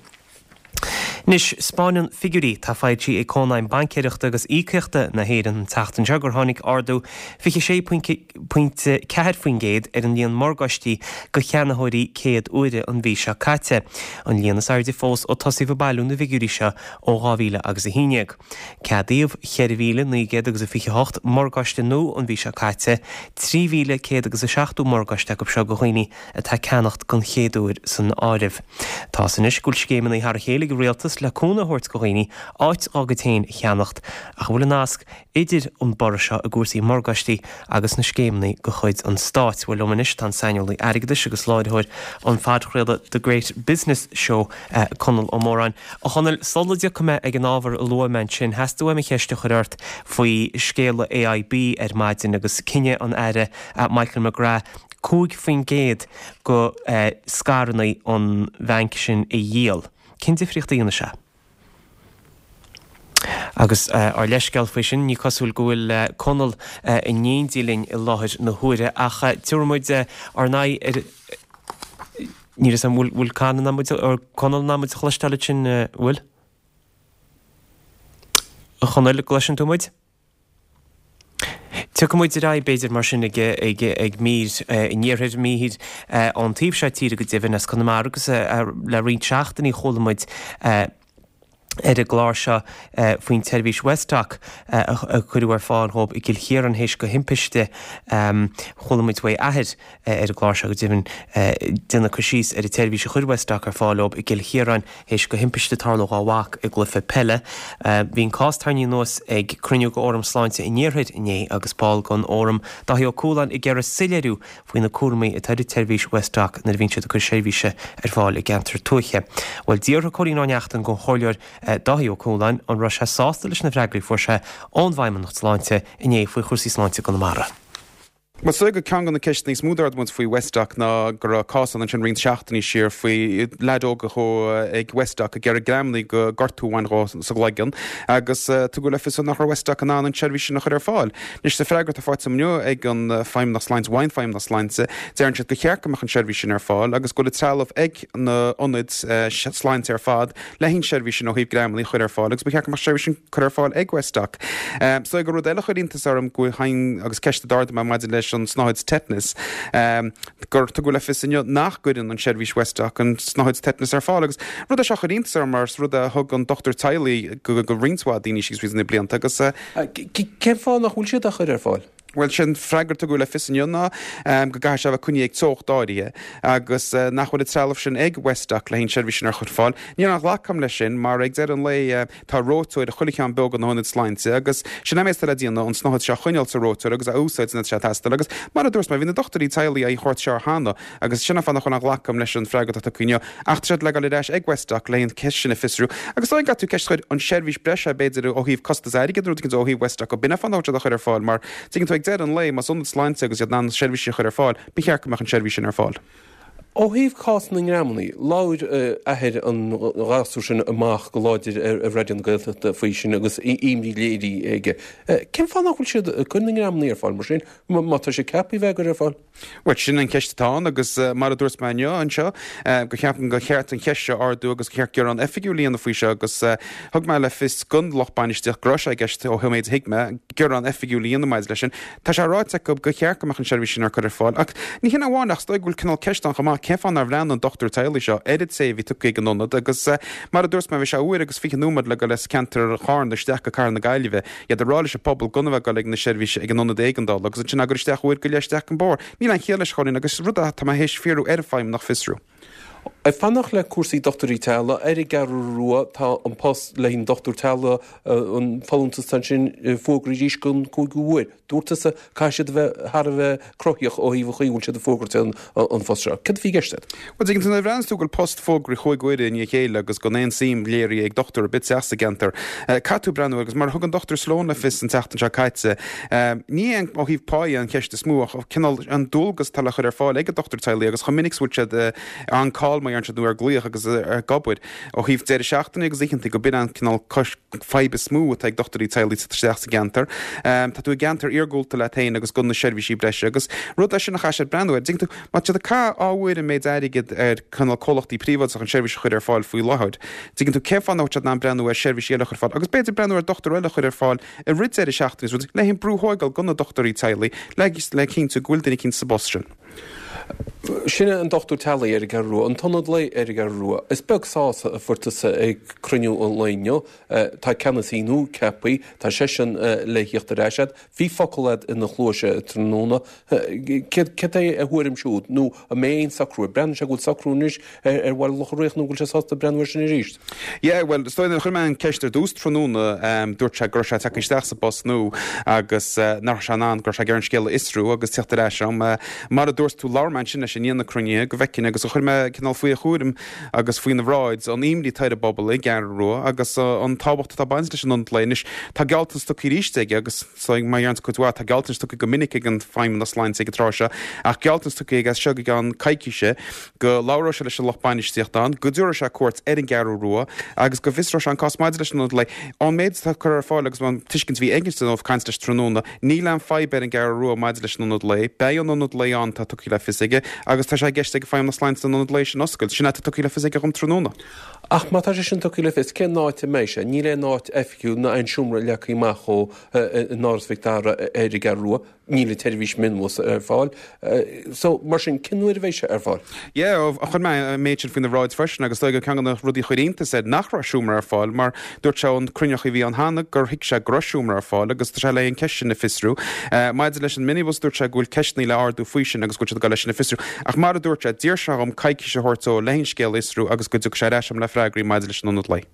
Anois, 'spáineann figiúirí atá foilsithe ag Cónaidhm Baincéireachta agus Íocaíochta na hÉireann an tseachtain seo gur tháinig ardú 26.4% ar an líon morgáistí go cheannaitheoirí céad uaire an mhí seo caite, an líon is airde fós ó tosaíodh ag bailiú na bhfigiúirí seo ó 2000 agus 11. Ceadaíodh 4,900 agus a 28 morgáiste nua an mhí seo caite, 3,100 agus a 70 morgáiste acu seo go dhaoine atá ag ceannacht don chéad uair san áireamh. Tá fhios anois go bhfuil scéimeanna thar a chéile ag an rialtas le cúnamh a thabhairt go dhaoine áit dhá gcuid féin a cheannacht ach an bhfuil an nasc idir an borradh seo i gcúrsaí morgáistí agus na scéimeanna de chuid an stáit? Bhuel liom anois tá an saineolaí airgeadais agus láithreoir an phodchraolta The Great Business Show, Conall Ó Móráin. A Chonaill, sula dtiocfaidh mé ag an ábhar a luaigh mé ansin, theastaigh uaim an cheist a chur ort faoi scéala AIB ar maidin agus cinneadh an Aire Michael McGrath 5% de scaireanna an bhainc sin a dhíol. Cén difríocht a dhéanfaidh sé? Agus ár leithscéal faoi sin, ní cosúil go bhfuil Conall in éindí linn i láthair na huaire, ach tabharfaidh muid ár n-aghaidh ar. Níl a fhios agam, bhfuil Conall in ann muid, Conall in ann muid a chloisteáil ansin, bhfuil? A Chonaill, gcloiseann tú muid? Tiocfaidh muid ar aghaidh, b'fhéidir, mar sin, ag, ag, ag mír an iarthair, mír ón taobh seo tíre go deimhin, as Conamara agus le roinnt seachtainí chuala muid ar an gclár seo faoin tseirbhís Westdoc a cuireadh ar fáil dhóibh i gCill Chiaráin théis go thimpiste. Chuala muid uaidh athair ar an gclár seo go deimhin déanamh cur síos ar an tseirbhís a chuir Westdoc ar fáil dhóibh i gCill Chiaráin théis go thimpiste tarlú dhá mhac i gcluiche peile. Bhí an cás tarraingthe anuas ag cruinniú de Fhóram Sláinte an Iarthair inné agus ball den Fhóram, Dáithí Ó Cualáin, ag iarraidh soiléiriú faoi na cúraimí atá ar an tseirbhís Westdoc nuair a bhíonn siad ag cur seirbhíse ar fáil i gceantar tuaithe. Bhuel, d'fhiafraigh Cóilín Ó Neachtain den Chomhairleoir Dáithí Ó Cualáin an raibh sé sásta leis na freagraí a fuair sé ón bhFeidhmeannacht Sláinte inné faoi chúrsaí sláinte i gConamara. Bhuel, is dóigh gur ceann de na ceisteanna is mó d'ardaigh muid faoi Westdoc ná go raibh cás ann ansin roinnt seachtainí siar faoi leaid óg a chuaigh ag Westdoc ag iarraidh greamannaí go gortú a bhain dhó sa gcloigeann agus tugadh le fios nach raibh Westdoc in ann an tseirbhís sin a chur ar fáil. Anois, sa freagra atá faighte agam inniu ag an Feidhmeannacht Sláinte, uaidh an Feidhmeannacht Sláinte, deireann siad gur cheart go mbeadh an tseirbhís sin ar fáil agus go bhfuil an trealamh ag na hionaid sláinte ar fad le haghaidh an tseirbhís sin ó thaobh greamannaí a chur ar fáil agus ba cheart go mbeadh an tseirbhís sin curtha ar fáil ag Westdoc. Is dóigh gur rud eile a chuir iontas orm go bhfuil, agus ceist a d'ardaigh mé maidir leis an tsnáthaid tetanus, gur tugadh le fios inniu nach gcuireann an tseirbhís Westdoc an tsnáthaid tetanus ar fáil agus rud é seo a chuir iontas orm mar is rud é a thug an dochtúir teaghlaigh go roinnt mhaith daoine síos fríd na blianta agus Cén fáth nach bhfuil siad á chur ar fáil? Bhuel, sé an freagra a tugadh le fios inniu ná go gcaithfidh sé a bheith coinnithe ag teocht áirithe agus nach bhfuil an trealamh sin ag Westdoc le haghaidh an tseirbhís sin a chur ar fáil. Níl aon ghlacadh agam leis sin mar ag deireadh an lae tá reoiteoir i chuile cheann beag de na hionaid sláinte agus sin é an méid atá le déanamh, an tsnáthaid seo a choinneáil sa reoiteoir agus a úsáid nuair atá sé ag teastáil agus mar a dúirt mé bhí na dochtúirí teaghlaigh á thabhairt seo cheana Agus sin an fáth nach bhfuil aon ghlacadh agam leis an freagra atá tugtha inniu. Ach tá siad le dul ar ais ag Westdoc le haghaidh an cheist sin a fiosrú. Agus dóigh go gcaithfidh tú ceist a chur, an seirbhís breise b'fhéidir ó thaobh costas airgid nó rud éicint ó thaobh Westdoc, b'in an fáth nach bhfuil siad á chur ar fáil mar tuigeann tú ag deireadh an lae más ionad sláinte agus iad in ann seirbhísí a chur ar fáil, ba cheart go mbeadh an seirbhís sin ar fáil. Ó thaobh cás na ngreamannaí, labhair athair an ghasúir sin amach go láidir ar Raidió na Gaeltachta faoi sin agus imní léirithe aige. Cén fáth nach bhfuil siad ag cur na ngreamannaí ar fáil mar sin, má tá sé ceaptha a bheith á gcur ar fáil? Bhuel, sin an cheist atá ann agus mar a dúirt mé inniu anseo, go cheapaim gur cheart an cheist seo a ardú agus gur cheart gearán oifigiúil a dhéanamh faoi seo agus thug mé le fios don lucht bainistíochta go raibh sé i gceist ó méid a thuig mé, gearán oifigiúil a dhéanamh maidir leis sin. Tá sé ráite acu gur cheart go mbeadh an seirbhís sin ar cur ar fáil ach ní hin amháin ach is dóigh go bhfuil cineál ceist ann chomh maith cén fáth nár bhreathnaigh an dochtúir teaghlaigh seo ar an té a bhí tugtha ag an ionad agus mar a dúirt mé bhí sé uair agus 20 nóiméad le dul as ceantar Charna isteach go Cathair na Gaillimhe. Iad ag rá leis an pobal gan a bheith ag dul ag na seirbhíse ag an ionad éigeandála agus ansin á gcur isteach uair go leith isteach an bóthar. Níl aon chiall leis, a Chóilín, agus rud atá mé théis fiafraí ar an Feidhmeannacht fiosrú. Ag fanacht le cúrsaí dochtúirí teaghlaigh, ar an gCeathrú Rua tá an post le haghaidh an dochtúir teaghlaigh, an folúntas atá ansin, fógraithe arís don cúigiú huair. Dúirt tusa, caithfidh siad a bheith thar a bheith cruthaíoch ó thaobh an chaoi a bhfuil siad ag fógairt an phost seo. Céard a bhí i gceist agat? Bhuel, tuigeann tú, nuair a bhreathnaíonn tú go bhfuil post fógraithe chúig huaire i ndiaidh a chéile agus gan aon suim léirithe ag dochtúir ar bith teacht sa gceantar, caithfidh tú breathnú agus mar a thug an Dr Sloane le fios an tseachtain seo caite, ní hé ó thaobh pá an cheist is mó ach cineál an dualgas atá le chur ar fáil ag an dochtúir teaghlaigh agus chomh minic is a bhfuil siad on call mar. deireann siad, nó ar glaoch agus ag obair ó thaobh deireadh seachtaine agus oícheanta go b'in an cineál fadhb is mó atá ag dochtúirí teaghlaigh ag teacht isteach sa gceantar. Tá tú i gceantar iargúlta leat féin agus gan na seirbhísí breise agus rud é sin a chaithfidh siad breathnú air. Dtuigeann tú, má tá siad ag caitheamh ábhair an méid airgid ar cineál comhlachtaí príobháideacha an seirbhís a chur ar fáil faoi láthair, dtuigeann tú, cén fáth nach bhfuil siad in ann breathnú ar seirbhísí eile a chur ar fáil agus b'fhéidir breathnú ar dochtúir eile a chur ar fáil i rith deireadh seachtaine is rudaí le haon brú a thóigeáil go na dochtúirí teaghlaigh le le cinntiú go bhfuil duine eicínt sa bpost sin. Sin é an dochtúir teaghlaigh ar an gCeathrú Rua, an t-ionad lae ar an gCeathrú Rua. Is beag sásamh a fuair tusa ag cruinniú an lae inniu. Tá ceannasaí nua ceaptha, tá seisean le thíocht ar ais agat. Bhí focal agat ina chluais tráthnóna. Céard é a thuairim siúd? Nó an mbeidh aon socrú? Breathnaíonn sé go bhfuil socrú anois ar Bhaile Locha Riach nó go bhfuil sé sásta breathnú air sin arís? Yeah, bhuel, is dóigh nuair a chuir mé an ceist ar dtús tráthnóna, dúirt sé go raibh sé ag teacht isteach sa bpost nua agus nach raibh sé in ann, go raibh sé ag iarraidh an scéal a fhiosrú agus teacht ar ais agam. Mar a dúirt tú, labhair mé ansin leis i ndiaidh na cruinnithe go bhfeicfinn agus chuir mé cineál faoi a chúram agus faoina bhráid an imní atá ar an bpobal i gCeathrú Rua agus an tábhacht atá ag baint leis an ionad lae. Anois, tá gealltanas tugtha arís aige agus so mar a deireann tú cuid mhaith, tá gealltanais tugtha go minic ag an Feidhmeannas Sláinte ag an tráth seo ach gealltanas tugtha aige as seo go gceann coicíse go labhróidh sé leis an lucht bainistíochta ann, go dtabharfaidh sé cuairt ar an gCeathrú Rua agus go bhfiosróidh sé an cás maidir leis an ionad lae. Ón méid atá curtha ar fáil agus an tuiscint a bhí aige ó chaint leis tráthnóna, níl aon fadhb ar an gCeathrú Rua maidir leis an ionad lae. Beidh an ionad lae ann, tá tugtha le fios aige, agus tá sé i gceist ag Feidhmeannas Sláinte an ionad lae sin a oscailt. Sin é atá tugtha le fios aige dhom tráthnóna. Ach má tá sé sin tugtha le fios, cén áit a mbeidh sé? Níl aon áit oifigiúil ná aon seomra leagtha amach dhó in Áras Mhic Dara ar an gCeathrú Rua. Níl an tseirbhís mionbhus ar fáil. So, mar sin, cén uair a bheidh sé ar fáil? Yeah, chuir mé an méid sin faoina bhráid freisin agus is dóigh gur ceann de na rudaí a chuir iontas air nach raibh seomra ar fáil mar dúirt sé ón cruinniú a bhí ann cheana gur thuig sé go raibh seomra ar fáil agus tá sé le an cheist sin a fiosrú. Maidir leis an minibus dúirt sé go bhfuil ceisteanna le ardú faoi sin agus go bhfuil siad ag dul leis sin a fiosrú. Ach mar a dúirt sé, d'iarr sé dhom coicís a thabhairt dó le an scéal a fhiosrú agus go dtiocfaidh sé ar ais agam le freagraí maidir leis an ionad lae.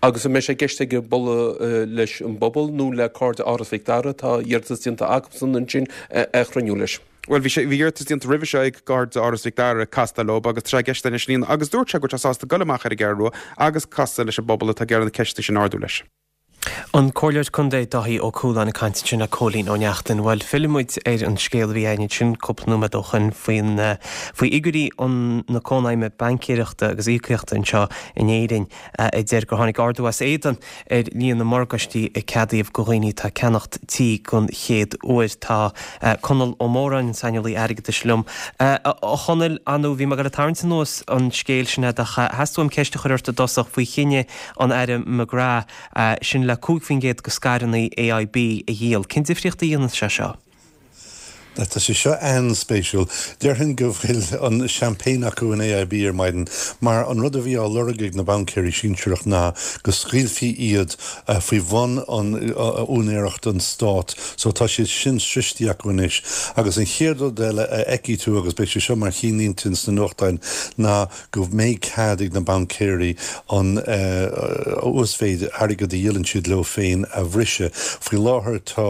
Agus an mbeidh sé i gceist aige bualadh leis an bpobal nó le Cairde Áras Mhic Dara, tá iarratas déanta acusan ansin ar chruinniú leis. Bhuel, bhí sé, bhí iarratas déanta roimhe seo ag Cairde Áras Mhic Dara castáil leo agus tá sé i gceist anois líon agus dúirt sé go bhfuil sé sásta dul amach ar an gCeathrú Rua agus casadh leis an bpobal atá ag iarraidh na ceisteanna sin a ardú leis. An Comhairleoir Contae Dáithí Ó Cualáin ag caint ansin le Cóilín Ó Neachtain. Bhuel, fillfidh muid ar an scéal a bhí againn ansin cúpla nóiméad ó shoin faoin, faoi fhigiúirí an, na Cónaidhme Baincéireachta agus Íocaíochta anseo in Éirinn a deir gur tháinig ardú as éadan ar líon na morgáistí a ceadaíodh go dhaoine atá ag ceannacht tí don chéad uair. Tá Conall Ó Móráin, an saineolaí airgeadais liom. A Chonaill, ar ndóigh, bhí mé ag dul ag tarraingt anuas an scéal sin a'd ach theastaigh uaim ceist a chur ort i dtosach faoi chinneadh an Aire McGrath, sin le 5% de scaireanna AIB a dhíol. Cén difríocht a dhéanann sé seo? Tá sé seo an-spéisiúil. Déarfainn go bhfuil an champagne acu in AIB ar maidin mar an rud a bhí á lorg ag na baincéirí sinsearach ná go scaoilfí iad faoi bhun an úinéireacht an Stát so tá siad sin sroichte acu anois. Agus an chéad rud eile a fheicfidh tú agus beidh sé seo mar chinnlínte sna nuachtáin ná go mbeidh cead ag na baincéirí an uasmhéid airgid a dhíolann siad leo féin a bhriseadh. Faoi láthair tá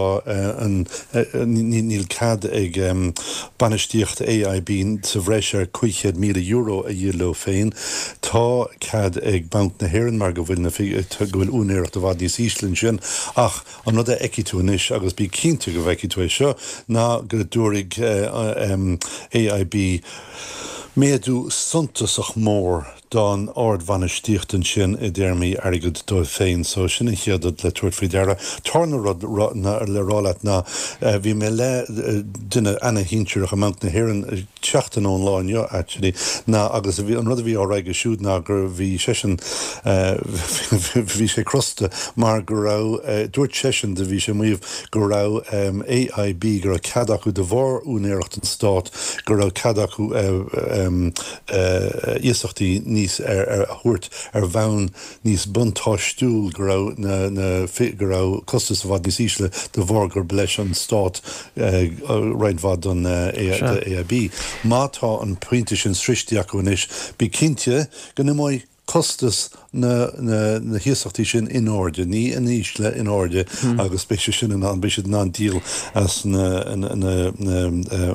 an níl cead ag bainistíocht AIB sa bhreis ar €500,000 a dhíol leo féin. Tá cead ag Banc na hÉireann mar go bhfuil na go bhfuil úinéireacht i bhfad níos ísle ansin ach An rud a fheicfidh tú anois, agus bí cinnte go bhfeicfidh tú é seo, ná go dtabharfaidh AIB méadú suntasach mór don ardbhainistíocht ansin i dtéarmaí airgid dóibh féin. So sin an chéad rud le tabhairt faoi deara. Tarna rud le rá leat ná bhí mé le duine ana-shinsearach i mBanc na hÉireann seachtain ón lá inniu actually ná agus an rud a bhí á rá aige siúd ná gur bhí seisean bhí sé crosta mar go raibh dúirt seisean do bhí sé ag maíomh go raibh AIB go raibh cead acu de bharr úinéireacht an Stát go raibh cead acu iasachtaí níos ar a thabhairt ar bhonn níos buntáistiúil, go raibh na, go raibh costas i bhfad níos ísle de bharr gurb leis an Stát roinnt mhaith don AIB. Má tá an pointe sin sroichte acu anois, bí cinnte go n-imeoidh costas na na hiasachtaí sin in airde, ní in ísle, in airde agus beidh sé sin in ann, beidh siad in ann díol as na na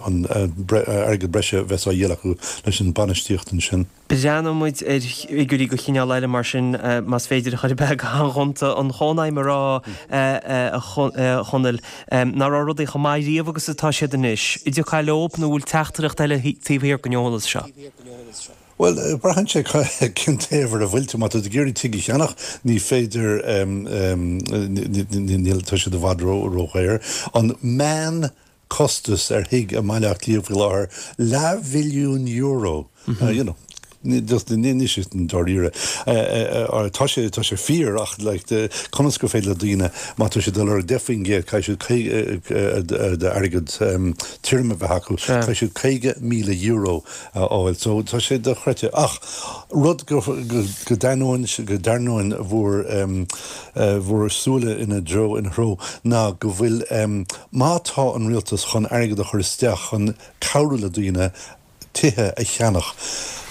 an airgead breise a bheas á dhíol acu leis an bainistíocht ansin. Breathnóidh muid ar fhigiúirí de chineál eile mar sin, más féidir a chur ar bith go han-ghonta. An Chónaidhm ag rá, a Chonaill, nach raibh rudaí chomh maith riamh agus atá siad anois. An dtiocfá leob nó an bhfuil teachtaireacht eile taobh thiar den eolas seo? Bhuel, braitheann sé cén taobh ar a bhfuil tú. Má tá tú ag iarraidh tigh a cheannach, ní féidir, níl, tá siad i bhfad ródhaor. An meán costas ar thigh i mBaile Átha Cliath faoi láthair, leathmhilliún euro. You know, just níl sé dáiríre. Tá sé, tá sé fíor ach like conas gur féidir le daoine, má tá siad ag lorg 10%, caithfidh siad d'airgead tirim a bheith acu, caithfidh siad €50,000 a fháil. So tá sé dochreidte. Ach rud go go d'ainneoin go ndearnóinn bhur bhur súile ina dtreo ina threo ná go bhfuil má tá an rialtas chun airgead a chur isteach chun cabhrú le daoine tithe a cheannach,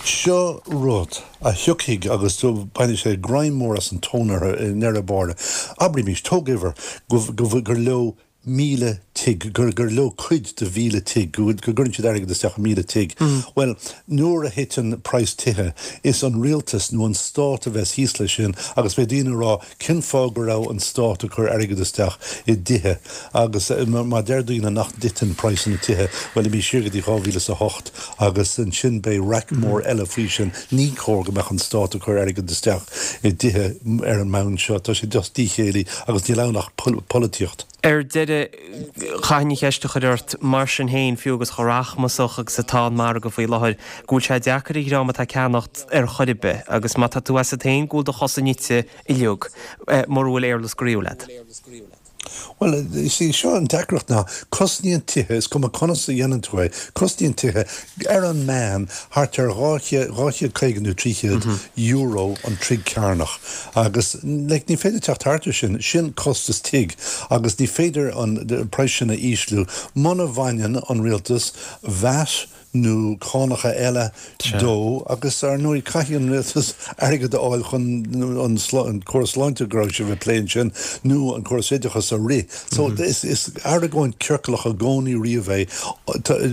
seo rud a thiocfaidh agus bainfidh sé greim mór as an tóin orthu i ndeireadh báire. Abraímis, tóg uimhir go go gur leo 1,000 tigh, gur gur leo cuid de 1,000 tigh, go go gcuireann siad airgead isteach i 1,000 tigh. Bhuel, nuair a thiteann praghas tithe, is an rialtas nó an stát a bheas thíos leis sin agus beidh daoine ag rá cén fáth go raibh an stát ag cur airgead isteach i dtithe agus má deir daoine nach dtiteann praghsanna tithe, bhuel, imigh siar go dtí 2008 agus ansin beidh raic mór eile faoi sin. Ní cóir go mbeadh an stát ag cur airgead isteach i dtithe ar an mbonn seo. Tá sé just díchéillí agus níl ann ach polaitíocht. Ar deireadh, chaithfinn an cheist a chur ort, mar sin féin, fiú agus chomh rachmasach agus atá an margadh faoi láthair, go bhfuil sé deacair ar dhream atá ag ceannacht ar chor ar bith, agus má tá tú asat féin go bhfuil do chosa nite uilig, mura bhfuil éarlais go riabhach leat. Bhuel, is í seo an deacracht ná, cosnaíonn tithe, is cuma conas a dhéanann tú é, cosnaíonn tithe, ar an meán, thart ar €250 nó €300 an troigh cearnach. Agus like ní féidir teacht thart ar sin, sin costas tigh agus ní féidir an praghas sin a ísliú muna bhaineann an rialtas VAT nó cánacha eile dó agus ar ndóigh caithfidh an rialtas airgead a fháil chun an córas sláinte go raibh sibh ag plé ansin nó an córas oideachais a rith. So is argóint ciorclach i gcónaí riamh é.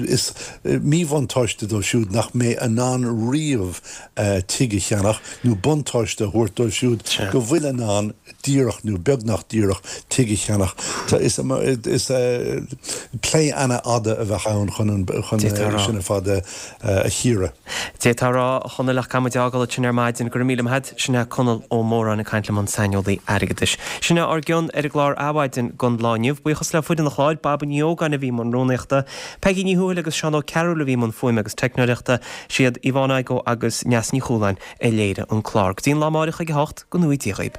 Is míbhuntáiste dóibh siúd nach mbeidh in ann riamh tigh a cheannach nó buntáiste a thabhairt dóibh siúd go bhfuil in ann díreach nó beagnach díreach tigh a cheannach. Is plé ana-fhada a bheadh ann chun sin ar fad a chíoradh. D'fhéadfá a rá, a Chonaill, ach caithfidh muid é a fhágáil ansin ar maidin. Go raibh míle maith agat. Sin é Conall Ó Móráin ag caint liom, an saineolaí airgeadais. Sin é ár gcion ar an gclár Adhmhaidin don lá inniu. Buíochas le foireann an chláir, Baba Ní Ógáin a bhí i mbun rúnaíochta, Peigí Ní Thuathail agus Seán Ó Cearúil a bhí i mbun fuaime agus teicneoireachta. Siad Yvonne Igoe agus Neasa Ní Chualáin a léirigh an clár. Go dtí an lá amáireach ag a hocht, go ngnóthaí Dia dhaoib.